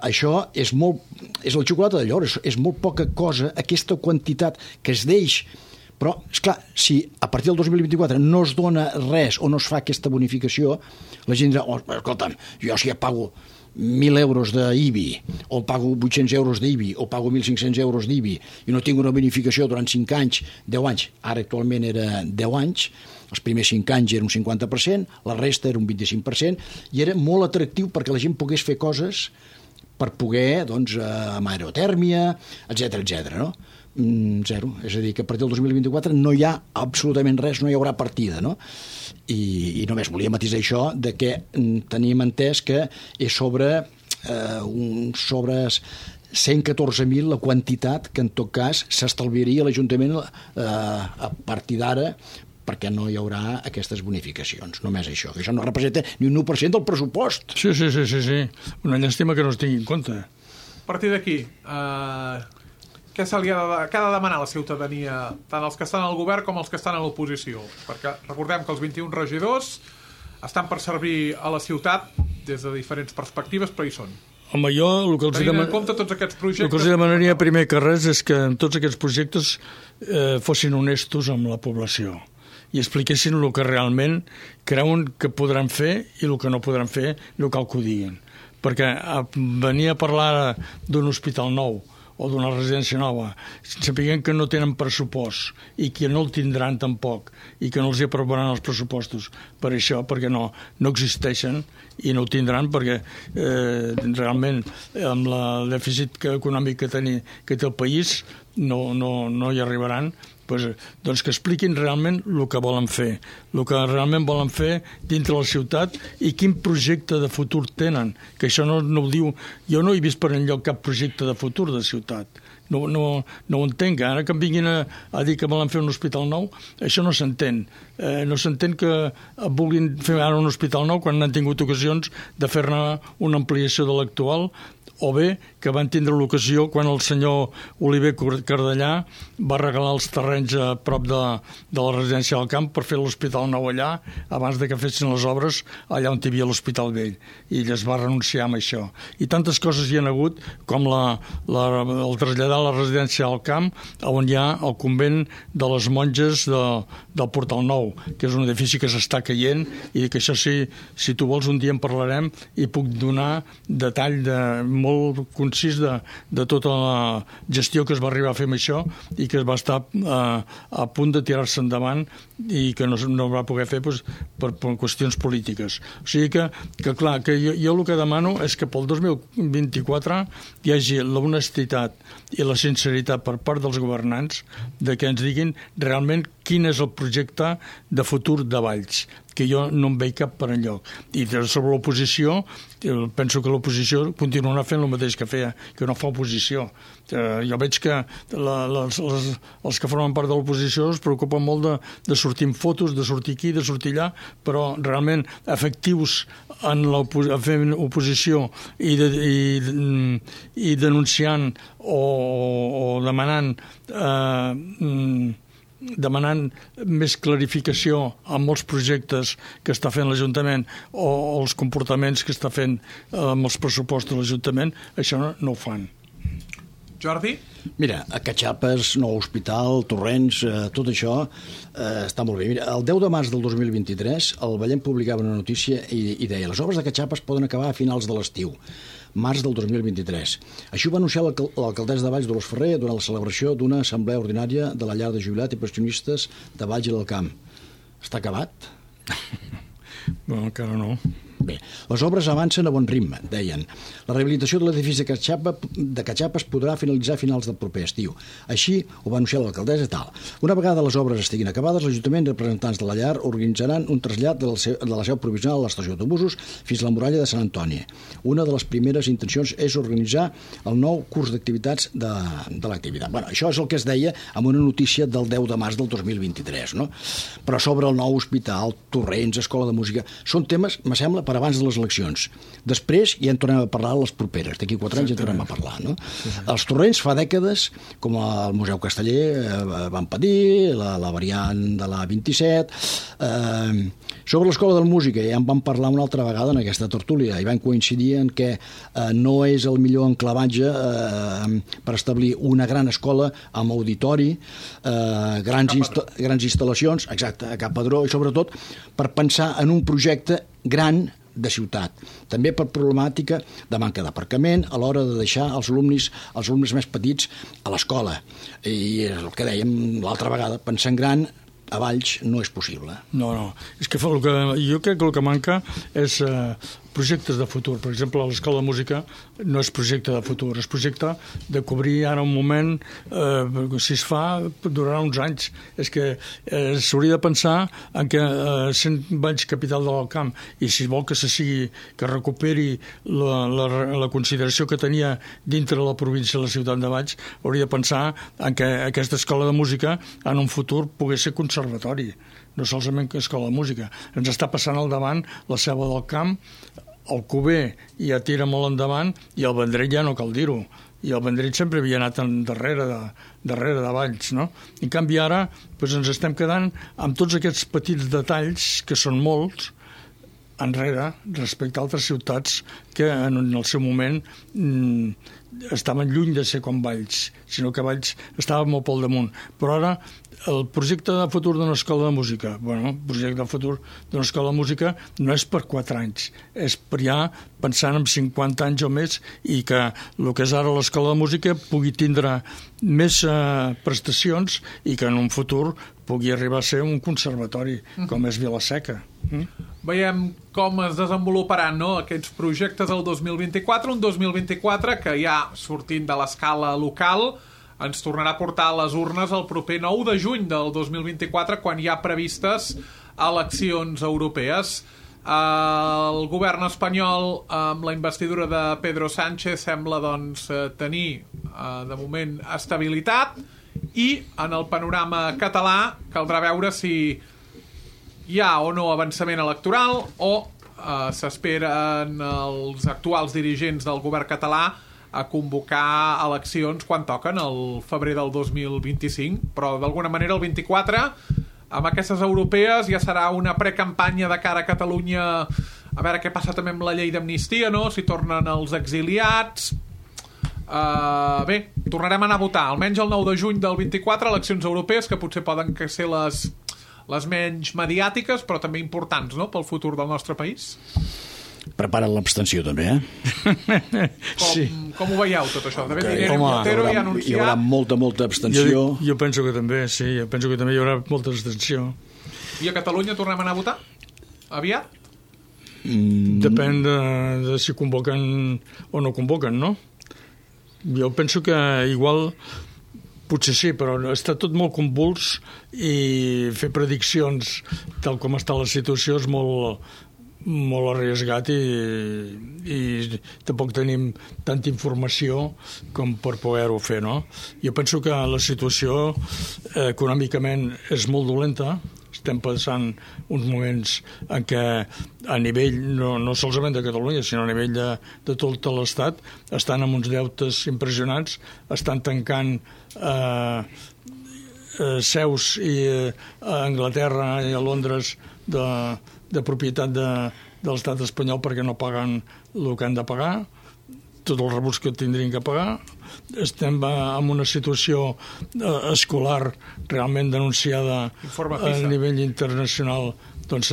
això és la xocolata de llor, és molt poca cosa, aquesta quantitat que es deix. Però, esclar, si a partir del 2024 no es dona res o no es fa aquesta bonificació, la gent dirà, escolta'm, jo si ja pago 1.000 euros d'IBI, o pago 800 euros d'IBI, o pago 1.500 euros d'IBI, i no tinc una bonificació durant 5 anys, 10 anys, ara actualment era 10 anys, els primers 5 anys era un 50%, la resta era un 25%, i era molt atractiu perquè la gent pogués fer coses per poder, doncs, amb aerotèrmia, etc, no? Zero. És a dir, que a partir del 2024 no hi ha absolutament res, no hi haurà partida, no? I només volia matisar això de que teníem entès que és sobre 114.000 la quantitat que en tot cas s'estalviaria l'Ajuntament a partir d'ara, perquè no hi haurà aquestes bonificacions, només això. Això no representa ni un 1% del pressupost. Sí. Una llàstima que no es tingui en compte. A partir d'aquí, què ha de demanar la ciutadania, tant els que estan al govern com els que estan a l'oposició? Perquè recordem que els 21 regidors estan per servir a la ciutat des de diferents perspectives, però hi són. Home, jo el que els demanaria primer que res és que tots aquests projectes fossin honestos amb la població i expliquessin el que realment creuen que podran fer i el que no podran fer, no cal que ho diguin. Perquè venir a parlar d'un hospital nou o d'una residència nova, sapiguem que no tenen pressupost i que no el tindran tampoc i que no els hi aprovaran els pressupostos per això, perquè no existeixen i no ho tindran perquè realment amb el dèficit econòmic que té el país no hi arribaran. Doncs que expliquin realment el que volen fer, el que realment volen fer dintre la ciutat i quin projecte de futur tenen, que això no ho diu. Jo no he vist per enlloc cap projecte de futur de ciutat. No ho entenc. Ara que em vinguin a dir que volen fer un hospital nou, això no s'entén. No s'entén que vulguin fer ara un hospital nou quan han tingut ocasions de fer-ne una ampliació de l'actual o bé que van tindre l'ocasió quan el senyor Oliver Cardellà va regalar els terrenys a prop de la residència del camp per fer l'Hospital Nou allà, abans de que fessin les obres allà on hi havia l'Hospital Vell, i es va renunciar a això. I tantes coses hi ha hagut com el traslladar la residència al camp, on hi ha el convent de les monges del Portal Nou, que és un edifici que s'està caient, i que això sí, si tu vols un dia en parlarem i puc donar detall molt concís de tota la gestió que es va arribar a fer amb això i que es va estar a punt de tirar-se endavant i que no va poder fer per qüestions polítiques. O sigui que clar, que jo el que demano és que pel 2024 hi hagi l'honestitat i la sinceritat per part dels governants de que ens diguin realment quin és el projecte de futur de Valls, que jo no em veig cap per enlloc. I sobre l'oposició, penso que l'oposició continuarà fent el mateix que feia, que no fa oposició. Jo veig que els que formen part de l'oposició es preocupen molt de sortir en fotos, de sortir aquí, de sortir allà, però realment efectius fent oposició i denunciant o demanant més clarificació amb molts projectes que està fent l'Ajuntament o els comportaments que està fent amb els pressupostos de l'Ajuntament, això no ho fan. Jordi? Mira, a Catxapes, nou hospital, Torrents, tot això està molt bé. Mira, el 10 de març del 2023 el Vallem publicava una notícia i deia: les obres de Catxapes poden acabar a finals de l'estiu, març del 2023. Així ho va anunciar l'alcaldessa de Valls, Dolors Ferrer, durant la celebració d'una assemblea ordinària de la llar de jubilats i pensionistes de Valls i del Camp. Està acabat? No, encara no. Bé, les obres avancen a bon ritme, deien. La rehabilitació de l'edifici de Catxapes podrà finalitzar a finals del proper estiu. Així ho va anunciar l'alcaldessa tal. Una vegada les obres estiguin acabades, l'Ajuntament i representants de la llar organitzaran un trasllat de la seu provisional a l'estació d'autobusos fins a la muralla de Sant Antoni. Una de les primeres intencions és organitzar el nou curs d'activitats de l'activitat. Bueno, això és el que es deia amb una notícia del 10 de març del 2023, no? Però sobre el nou hospital, Torrents, escola de música, són temes, me sembla, per abans de les eleccions. Després ja en tornem a parlar a les properes. D'aquí 4 anys ja en tornem a parlar, no? Els Torrents fa dècades, com el Museu Casteller van patir, la variant de la 27. Sobre l'Escola de la Música ja en vam parlar una altra vegada en aquesta tertúlia i van coincidir en que no és el millor enclavatge per establir una gran escola amb auditori, grans instal·lacions, exacte, a Cap Pedró, i sobretot per pensar en un projecte gran de ciutat. També per problemàtica de manca d'aparcament a l'hora de deixar els alumnes més petits a l'escola. I el que dèiem l'altra vegada, pensar en gran a Valls no és possible. No. És que jo crec que el que manca és projectes de futur. Per exemple, l'Escola de Música no és projecte de futur, és projecte de cobrir ara un moment, si es fa, durarà uns anys. És que s'hauria de pensar en que sent Valls capital del camp i si vol que que recuperi la consideració que tenia dintre la província de la ciutat de Valls, hauria de pensar en que aquesta escola de música en un futur pogués ser conservatori, no solament escola de música. Ens està passant al davant la Selva del Camp, el Cuber ja tira molt endavant i el Vendrell ja no cal dir-ho. I el Vendrell sempre havia anat darrere de Valls, no? En canvi ara ens estem quedant amb tots aquests petits detalls, que són molts, enrere respecte a altres ciutats que en el seu moment estaven lluny de ser com Valls, sinó que Valls estava molt pel damunt. Però ara el projecte de futur d'una escola de música, el projecte de futur d'una escola de música no és per 4 anys, és per ja pensant en 50 anys o més i que el que és ara l'escola de música pugui tindre més prestacions i que en un futur pugui arribar a ser un conservatori, com és Vila-seca. Veiem com es desenvoluparan aquests projectes del 2024, un 2024 que ja sortint de l'escala local ens tornarà a portar a les urnes el proper 9 de juny del 2024, quan hi ha previstes eleccions europees. El govern espanyol, amb la investidura de Pedro Sánchez, sembla tenir de moment estabilitat, i en el panorama català caldrà veure si hi ha o no avançament electoral o s'esperen els actuals dirigents del govern català a convocar eleccions quan toquen, el febrer del 2025, però d'alguna manera el 24, amb aquestes europees, ja serà una precampanya de cara a Catalunya, a veure què passa també amb la llei d'amnistia, no? Si tornen els exiliats. Bé, tornarem a anar a votar, almenys el 9 de juny del 24, eleccions europees, que potser poden ser les menys mediàtiques, però també importants, no?, pel futur del nostre país. Prepara't l'abstenció, també, Sí. Com ho veieu, tot això? De fet, Irene Home, Montero hi ha anunciat... Hi haurà molta abstenció. Jo penso que també, sí, jo penso que també hi haurà molta abstenció. I a Catalunya tornem a anar a votar? Aviat? Depèn de si convoquen o no convoquen, no? Jo penso que igual potser sí, però està tot molt convuls i fer prediccions tal com està la situació és molt arriesgat i tampoc tenim tanta informació com per poder-ho fer, no? Jo penso que la situació econòmicament és molt dolenta. Estem passant uns moments en què a nivell, no solament de Catalunya, sinó a nivell de tot l'Estat, estan amb uns deutes impressionants, estan tancant seus a Anglaterra i a Londres de propietat de l'estat espanyol perquè no paguen el que han de pagar, tots els rebuts que tindrien que pagar. Estem en una situació escolar realment denunciada a nivell internacional, doncs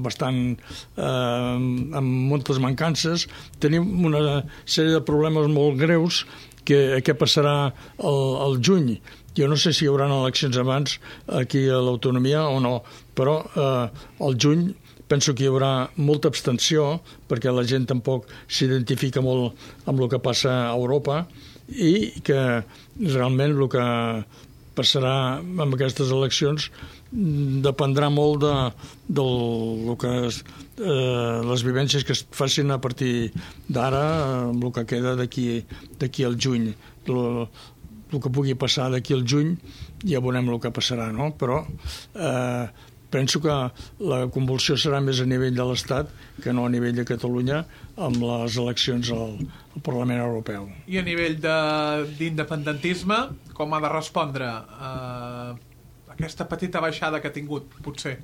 bastant amb moltes mancances. Tenim una sèrie de problemes molt greus que què passarà al juny. Jo no sé si hi haurà eleccions abans aquí a l'autonomia o no, però al juny penso que hi haurà molta abstenció perquè la gent tampoc s'identifica molt amb el que passa a Europa i que realment el que passarà amb aquestes eleccions dependrà molt de les vivències que es facin a partir d'ara, amb el que queda d'aquí al juny. El que pugui passar d'aquí al juny ja veurem el que passarà, no? Però penso que la convulsió serà més a nivell de l'Estat que no a nivell de Catalunya amb les eleccions al Parlament Europeu. I a nivell d'independentisme, com ha de respondre aquesta petita baixada que ha tingut, potser?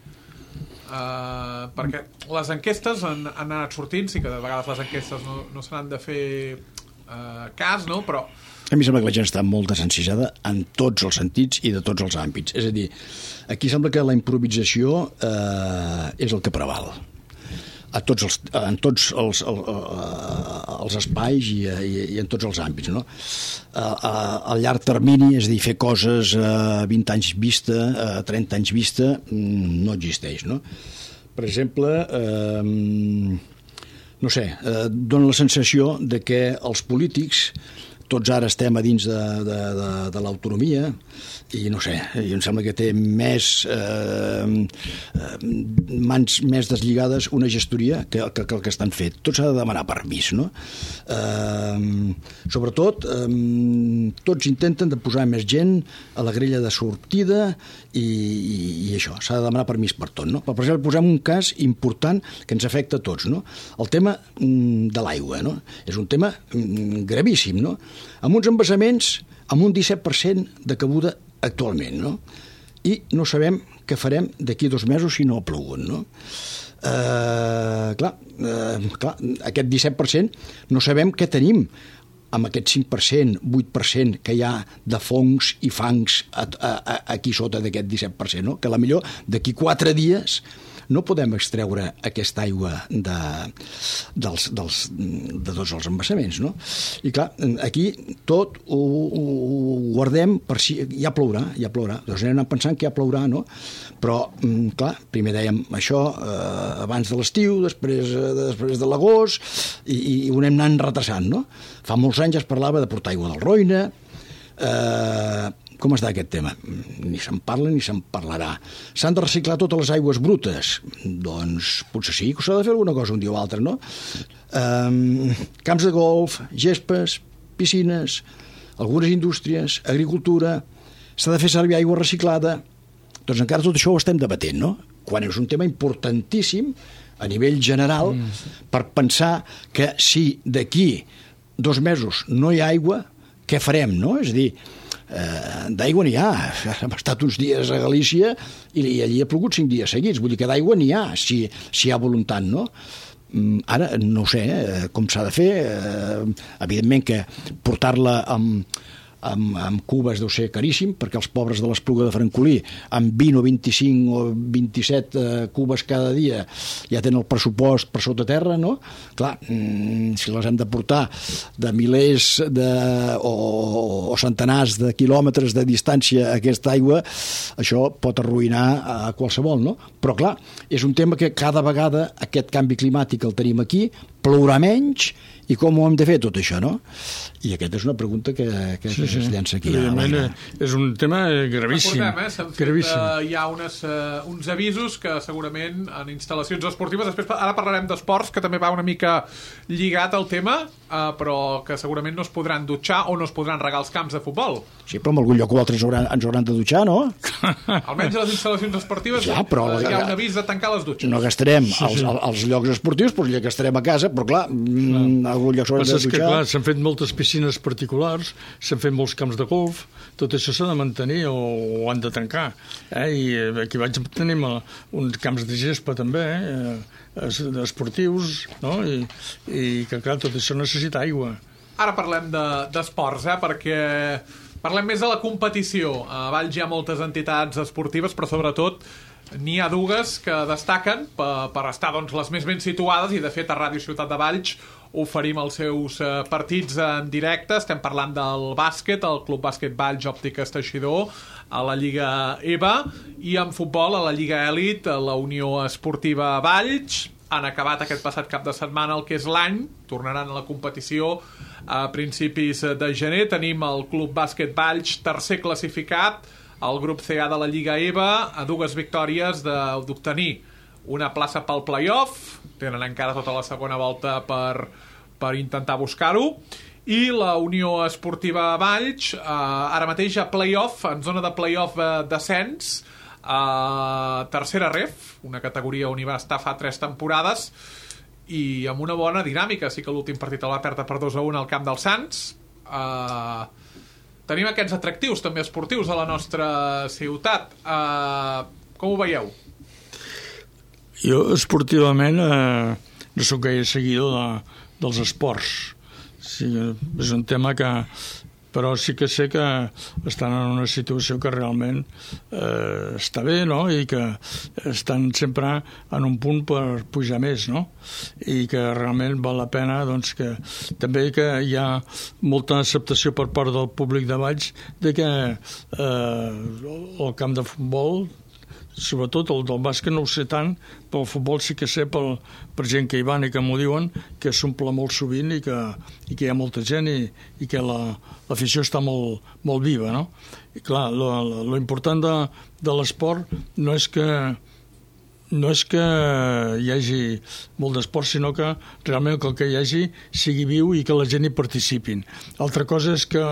Perquè les enquestes han anat sortint, sí que de vegades les enquestes no se n'han de fer cas, no? Però a mi sembla que la gent està molt desencisada en tots els sentits i de tots els àmbits. És a dir, aquí sembla que la improvisació és el que preval en tots els espais i en tots els àmbits, no? A llarg termini, és a dir, fer coses a 20 anys vista, a 30 anys vista, no existeix, no? Per exemple, no sé, dona la sensació de que els polítics tots ara estem a dins de l'autonomia i no sé, em sembla que té mans més deslligades una gestoria que el que estan fet. Tot s'ha de demanar permís, no? Sobretot, tots intenten de posar més gent a la grella de sortida i això, s'ha de demanar permís per tot, no? Per exemple, posem un cas important que ens afecta a tots, no? El tema de l'aigua, no? És un tema gravíssim, no? Amb uns embassaments amb un 17% de cabuda actualment, no? I no sabem què farem d'aquí 2 mesos si no ha plogut, no? Clar, aquest 17% no sabem què tenim amb aquest 5%, 8% que hi ha de fongs i fangs aquí sota d'aquest 17%, no? Que potser d'aquí 4 dies no podem extreure aquesta aigua de tots els embassaments, no? I clar, aquí tot ho guardem per si ja plourà. Doncs anem pensant que ja plourà, no? Però, clar, primer dèiem això abans de l'estiu, després de l'agost, i ho anem anant retrasant, no? Fa molts anys es parlava de portar aigua del Roine. Com està aquest tema? Ni se'n parla ni se'n parlarà. S'han de reciclar totes les aigües brutes? Doncs potser sí que s'ha de fer alguna cosa un dia o altre, no? Camps de golf, gespes, piscines, algunes indústries, agricultura, s'ha de fer servir aigua reciclada. Doncs encara tot això ho estem debatent, no? quan és un tema importantíssim a nivell general per pensar que si d'aquí 2 mesos no hi ha aigua, què farem, no? És a dir, d'aigua n'hi ha. Hem estat uns dies a Galícia i allí ha plogut 5 dies seguits, vull dir que d'aigua n'hi ha, si hi ha voluntat, no? Ara no ho sé com s'ha de fer, evidentment que portar-la amb cubes deu ser caríssim, perquè els pobres de l'Espluga de Francolí amb 20 o 25 o 27 cubes cada dia ja tenen el pressupost per sota terra, no? Clar, si les hem de portar de milers o centenars de quilòmetres de distància a aquesta aigua, això pot arruïnar a qualsevol, no? Però clar, és un tema que cada vegada aquest canvi climàtic el tenim aquí, plourà menys, i com ho hem de fer tot això, no? I aquesta és una pregunta que es llença aquí. És un tema gravíssim. Recordem, hi ha uns avisos que segurament en instal·lacions esportives, després ara parlarem d'esports, que també va una mica lligat al tema, però que segurament no es podran dutxar o no es podran regar els camps de futbol. Sí, però en algun lloc o altre ens hauran de dutxar, no? Almenys a les instal·lacions esportives ja, però hi ha un avís de tancar les dutxes. No gastarem als llocs esportius, però ja gastarem a casa, però clar, algun lloc s'haurà de dutxar. Que, clar, s'han fet moltes piscines particulars, s'han fet molts camps de golf, tot això s'ha de mantenir o han de tancar. I aquí tenim uns camps de gespa també, esportius, no? I que, clar, tot això necessita aigua. Ara parlem d'esports, perquè parlem més de la competició. A Valls hi ha moltes entitats esportives, però sobretot n'hi ha dues que destaquen per estar les més ben situades, i de fet a Ràdio Ciutat de Valls oferim els seus partits en directe. Estem parlant del bàsquet, el Club Bàsquet Valls Òptiques Teixidor, a la Lliga EVA, i en futbol a la Lliga Elit, a la Unió Esportiva Valls. Han acabat aquest passat cap de setmana el que és l'any, tornaran a la competició a principis de gener. Tenim el Club Bàsquet Valls tercer classificat, el grup CA de la Lliga EVA, a 2 victòries d'obtenir una plaça pel play-off. Tenen encara tota la segona volta per intentar buscar-ho. I la Unió Esportiva Valls, ara mateix a play-off, en zona de play-off descens, a tercera ref, una categoria on hi va estar fa 3 temporades, i amb una bona dinàmica. Sí que l'últim partit el va perdre per 2-1 al camp dels Sants. Tenim aquests atractius també esportius a la nostra ciutat. Com ho veieu? Jo esportivament no sóc gaire seguidor dels esports. Sí, és un tema que... Però sí que sé que estan en una situació que realment està bé, no? I que estan sempre en un punt per pujar més, no? I que realment val la pena, doncs, que també que hi ha molta acceptació per part del públic de Valls de que el camp de futbol, sobretot el del bàsquet no ho sé tant, però el futbol sí que sé per gent que hi van i que m'ho diuen, que s'omple molt sovint i que hi ha molta gent i que l'afició està molt, molt viva, no? I clar, lo important de l'esport no és que hi hagi molt d'esport, sinó que realment el que hi hagi sigui viu i que la gent hi participin. Altra cosa és que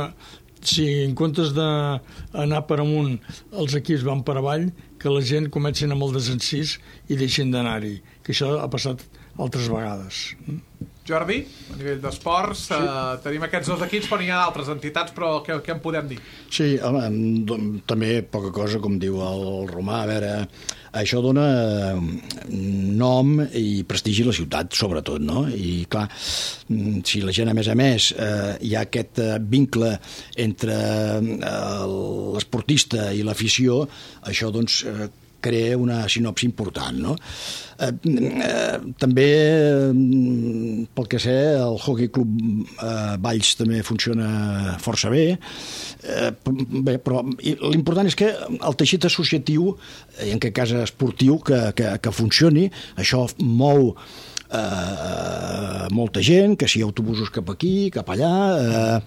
si en comptes d'anar per amunt els equips van per avall, que la gent comencin amb el desencís i deixin d'anar-hi, que això ha passat altres vegades. Jordi, a nivell d'esports, tenim aquests 2 equips, però n'hi ha d'altres entitats, però què en podem dir? Sí, home, també poca cosa, com diu el Romà. A veure, això dona nom i prestigi a la ciutat, sobretot, no? I clar, si la gent, a més, hi ha aquest vincle entre l'esportista i l'afició, això, doncs, crea una sinopsi important, no? També, pel que sé, el Hockey Club Valls també funciona força bé, però l'important és que el teixit associatiu, i en aquest cas esportiu, que funcioni, això mou molta gent, que si hi ha autobusos cap aquí, cap allà,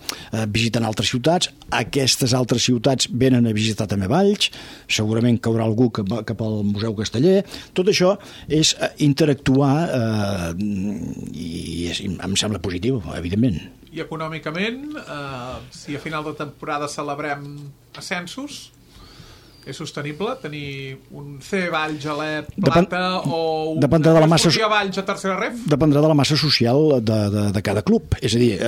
visiten altres ciutats. Aquestes altres ciutats venen a visitar també Valls, segurament caurà algú cap al Museu Casteller. Tot això és interactuar i em sembla positiu, evidentment. I econòmicament, si a final de temporada celebrem ascensos, És sostenible tenir un C Valls a l'E Plata o un dependrà de la massa, Valls a tercera ref? Dependrà de la massa social de cada club. És a dir,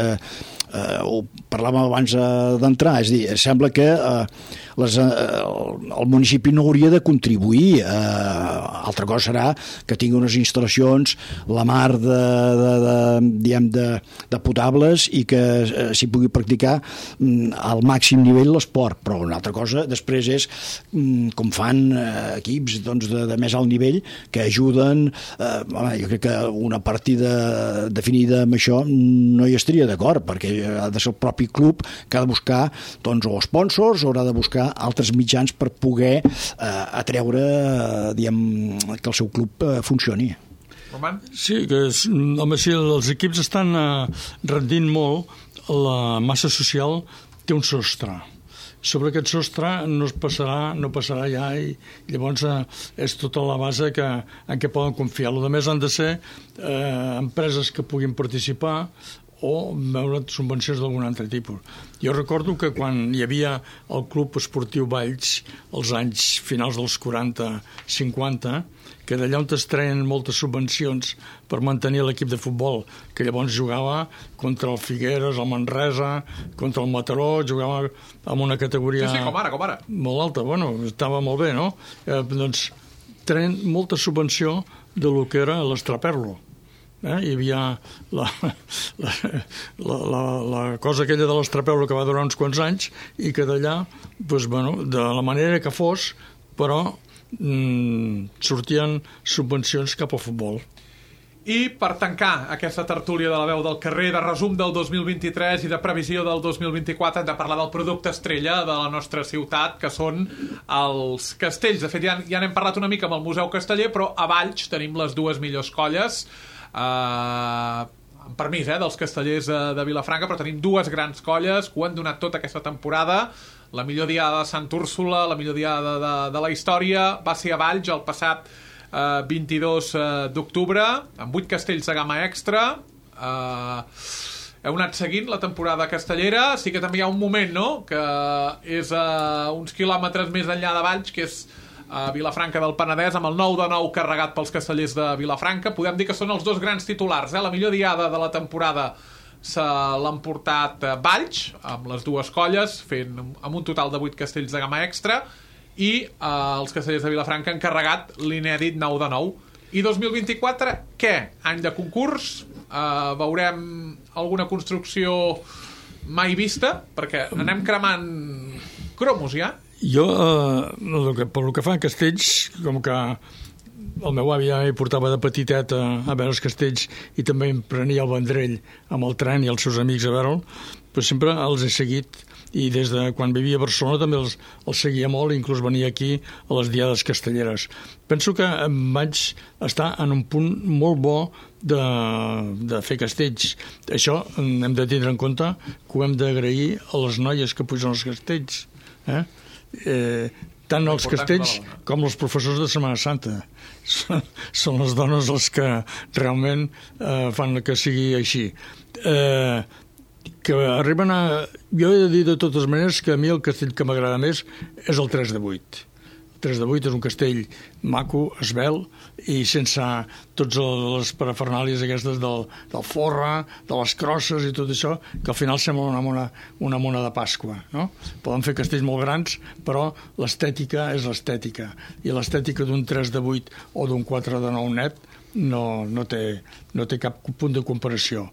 ho parlàvem abans d'entrar, és a dir, sembla que el municipi no hauria de contribuir. Altra cosa serà que tingui unes instal·lacions la mar de potables i que s'hi pugui practicar al màxim nivell l'esport, però una altra cosa després és com fan equips de més alt nivell que ajuden. Jo crec que una partida definida amb això no hi estaria d'acord, perquè ha de ser el propi club que ha de buscar o sponsors o haurà de buscar altres mitjans per poder atreure que el seu club funcioni. Roman? Sí, home, sí, els equips estan rendint molt, la massa social té un sostre. Sobre aquest sostre no passarà ja, i llavors és tota la base en què poden confiar. El més han de ser empreses que puguin participar o veure subvencions d'algun altre tipus. Jo recordo que quan hi havia el Club Esportiu Valls, als anys finals dels 40-50, que d'allà on es treien moltes subvencions per mantenir l'equip de futbol, que llavors jugava contra el Figueres, el Manresa, contra el Mataró, jugava amb una categoria... Sí, com ara. Molt alta, bueno, estava molt bé, no? Doncs treien molta subvenció de lo que era l'Estraperlo. Hi havia la cosa aquella de l'Estraperlo que va durar uns quants anys i que d'allà, de la manera que fos, però sortien subvencions cap al futbol. I per tancar aquesta tertúlia de la veu del carrer, de resum del 2023 i de previsió del 2024, hem de parlar del producte estrella de la nostra ciutat, que són els castells. De fet, ja n'hem parlat una mica amb el Museu Casteller, però a Valls tenim les dues millors colles, amb permís dels castellers de Vilafranca, però tenim dues grans colles que ho han donat tota aquesta temporada. La millor diada de Sant Úrsula, la millor diada de la història, va ser a Valls el passat 22 d'octubre, amb 8 castells de gamma extra. Heu anat seguint la temporada castellera. Sí que també hi ha un moment, no?, que és uns quilòmetres més enllà de Valls, que és a Vilafranca del Penedès, amb el 9-9 carregat pels castellers de Vilafranca. Podem dir que són els dos grans titulars. La millor diada de la temporada se l'han portat Valls, amb les dues colles, fent amb un total de 8 castells de gamma extra, i els castellers de Vilafranca han carregat l'inèdit 9-9. I 2024, què? Any de concurs? Veurem alguna construcció mai vista? Perquè anem cremant cromos ja. Jo, pel que fa a castells, com que el meu avi ja hi portava de petitet a veure els castells i també em prenia el Vendrell amb el tren i els seus amics a veure'l, però sempre els he seguit, i des de quan vivia a Barcelona també els seguia molt, inclús venia aquí a les diades castelleres. Penso que vaig estar en un punt molt bo de fer castells. Això hem de tindre en compte que ho hem d'agrair a les noies que pugen els castells, tant els castells com els professors de Setmana Santa. Són les dones les que realment fan que sigui així. Que arriben a... Jo he de dir de totes maneres que a mi el castell que m'agrada més és el 3 de 8. El 3 de 8 és un castell maco, esvelt, i sense totes les parafernàlies aquestes del forra, de les crosses i tot això, que al final sembla una mona de Pasqua, no? Poden fer castells molt grans, però l'estètica és l'estètica, i l'estètica d'un 3 de 8 o d'un 4 de 9 net no té cap punt de comparació.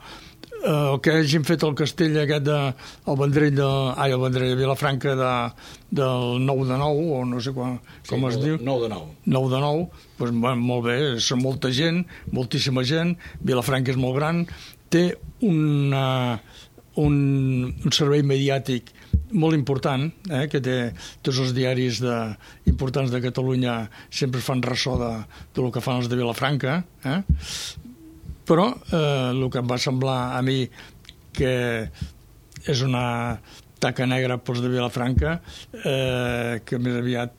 El que hagin fet el castell aquest el Vendrell de Vilafranca del 9-9, o no sé com es diu. 9-9, doncs molt bé, són molta gent, moltíssima gent, Vilafranca és molt gran, té un servei mediàtic molt important, que té tots els diaris importants de Catalunya, sempre fan ressò del que fan els de Vilafranca, però el que em va semblar a mi que és una taca negra pels de Vilafranca, que més aviat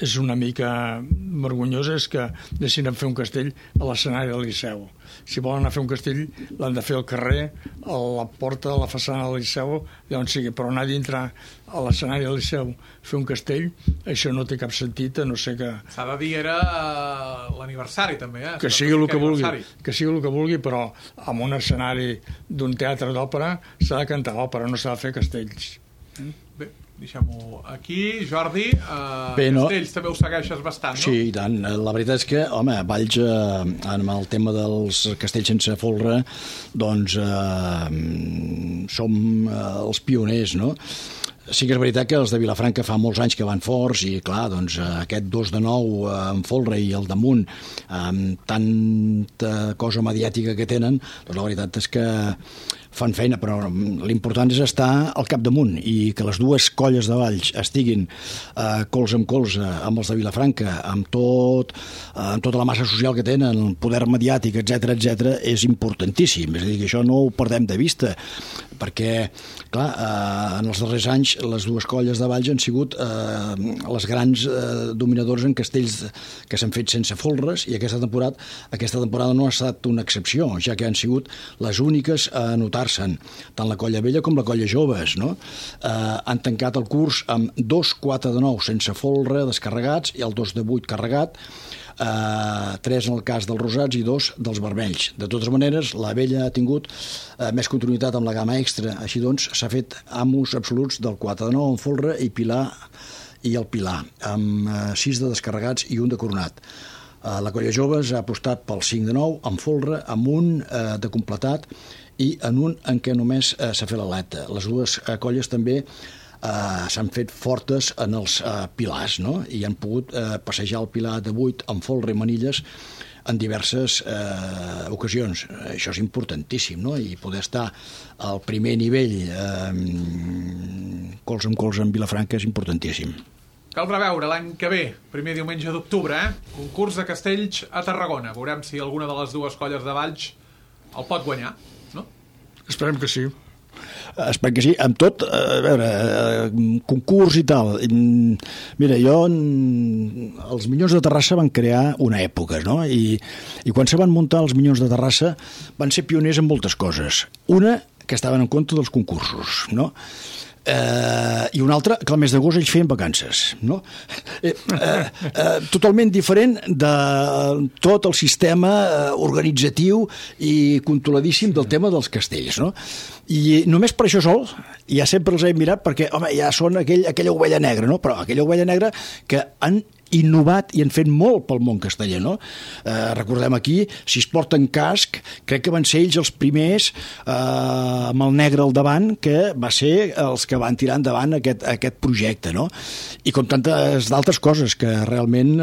és una mica vergonyós és que deixin fer un castell a l'escenari del Liceu. Si volen anar a fer un castell, l'han de fer al carrer, a la porta, a la façana del Liceu, on sigui, però anar a dintre a l'escenari del Liceu, fer un castell, això no té cap sentit, a no ser que... S'ha de dir, era l'aniversari, també, Que sigui el que vulgui, però en un escenari d'un teatre d'òpera s'ha de cantar òpera, no s'ha de fer castells. Bé, deixem-ho aquí. Jordi, Bé, no. Castells també ho segueixes bastant, no? Sí, i tant. La veritat és que, home, Valls, en el tema dels castells sense folre, doncs som els pioners, no? Sí que és veritat que els de Vilafranca fa molts anys que van forts i, clar, doncs aquest 2 de 9 amb folre i el damunt, amb tanta cosa mediàtica que tenen, doncs la veritat és que fan feina, però l'important és estar al capdamunt i que les dues colles de Valls estiguin colze amb colze amb els de Vilafranca, amb tota la massa social que tenen, el poder mediàtic, etc, és importantíssim. És a dir, que això no ho perdem de vista, perquè, clar, en els darrers anys les dues colles de Valls han sigut les grans dominadores en castells que s'han fet sense folres, i aquesta temporada no ha estat una excepció, ja que han sigut les úniques a anotar-se'n, tant la colla vella com la colla joves, no? Han tancat el curs amb 2 4 de 9 sense folre descarregats i el 2 de 8 carregat, 3 en el cas dels rosats i 2 dels vermells. De totes maneres, la vella ha tingut més continuïtat amb la gamma extra, així doncs s'ha fet amos absoluts del 4 de 9 en folre i el pilar, amb 6 de descarregats i 1 de coronat. La colla joves ha apostat pel 5 de 9 en folre, amb un de completat i en un en què només s'ha fet l'aleta. Les dues colles també s'han fet fortes en els pilars, no? I han pogut passejar el pilar de 8 amb folre i manilles en diverses ocasions. Això és importantíssim, no? I poder estar al primer nivell colze amb Vilafranca és importantíssim. Caldrà veure l'any que ve, primer diumenge d'octubre, concurs de castells a Tarragona. Veurem si alguna de les dues colles de Valls el pot guanyar, no? Esperem que sí. Esperem que sí. Amb tot, a veure, concurs i tal. Mira, els Minyons de Terrassa van crear una època, no? I quan se van muntar els Minyons de Terrassa van ser pioners en moltes coses. Una, que estaven en compte dels concursos, no? I una altra, que al mes d'agost ells feien vacances, no? Totalment diferent de tot el sistema organitzatiu i controladíssim del tema dels castells, no? I només per això sol ja sempre els he mirat, perquè, home, ja són aquella ovella negra, no? Però aquella ovella negra que han innovat i han fet molt pel món casteller, no? Recordem aquí, si es porten casc, crec que van ser ells els primers amb el negre al davant, que va ser els que van tirar endavant aquest projecte, no? I com tantes d'altres coses que realment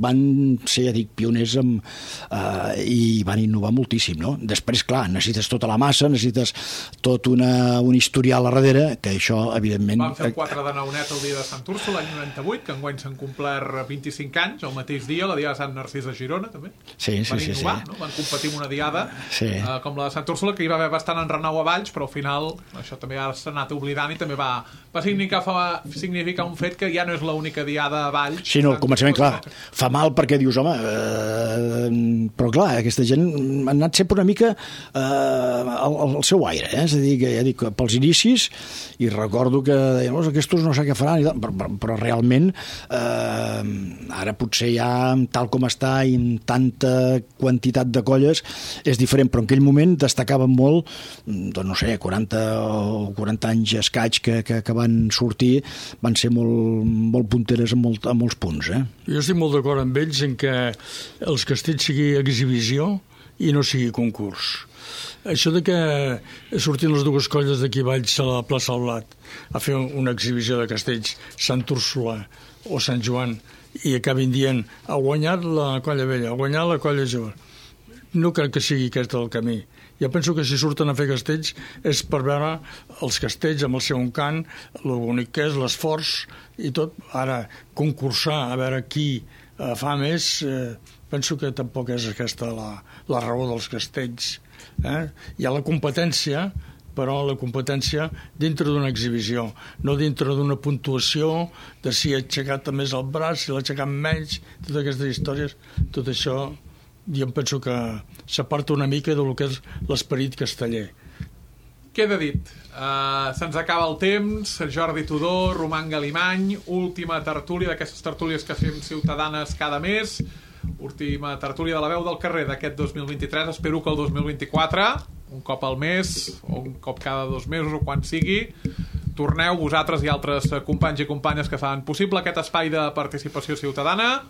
van ser, ja dic, pioners i van innovar moltíssim, no? Després, clar, necessites tota la massa, necessites tot un historial a darrere, que això, evidentment... Van fer el 4 de 9 net el dia de Sant Úrsula, l'any 98, que enguany s'han complert 25 anys, el mateix dia, la diada de Sant Narcís de Girona, també. Sí. Van innovar, no? Van competir amb una diada com la de Sant Úrsula, que hi va haver bastant enrenou a Valls, però al final això també s'ha anat oblidant i també va significar un fet que ja no és l'única diada a Valls. Sí, no, al començament, clar, fa mal perquè dius, home, però clar, aquesta gent ha anat sempre una mica al seu aire, és a dir, que ja dic, pels inicis, i recordo que deien, aquestos no sé què faran, però realment ara potser ja tal com està i amb tanta quantitat de colles és diferent, però en aquell moment destacaven molt, doncs no sé, 40 anys escaig que van sortir, van ser molt punteres en molts punts. Jo estic molt d'acord amb ells en que els castells sigui exhibició i no sigui concurs. Això de que sortint les dues colles d'aquí Valls a la plaça del Blat a fer una exhibició de castells, Sant Úrsula o Sant Joan, i acabin dient ha guanyat la colla vella, ha guanyat la colla jove. No crec que sigui aquest el camí. Jo penso que si surten a fer castells és per veure els castells amb el seu encant, l'únic que és l'esforç i tot. Ara, concursar a veure qui fa més, penso que tampoc és aquesta la raó dels castells. Hi ha la competència, però la competència dintre d'una exhibició, no dintre d'una puntuació de si ha aixecat més el braç, si l'ha aixecat menys, totes aquestes històries, tot això jo em penso que s'aparta una mica del que és l'esperit casteller. Queda dit. Se'ns acaba el temps. Jordi Tudó, Roman Galimany, última tertúlia d'aquestes tertúlies que fem ciutadanes cada mes, última tertúlia de la veu del carrer d'aquest 2023. Espero que el 2024, un cop al mes o un cop cada 2 mesos o quan sigui, torneu vosaltres i altres companys i companyes que fan possible aquest espai de participació ciutadana.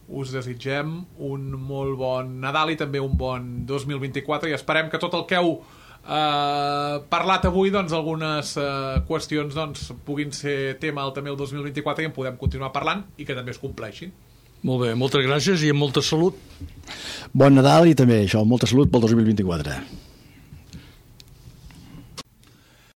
Us desitgem un molt bon Nadal i també un bon 2024 i esperem que tot el que heu parlat avui, doncs algunes qüestions doncs puguin ser tema també el 2024 i en podem continuar parlant i que també es compleixin. Molt bé, moltes gràcies i amb molta salut. Bon Nadal i també això, molta salut pel 2024.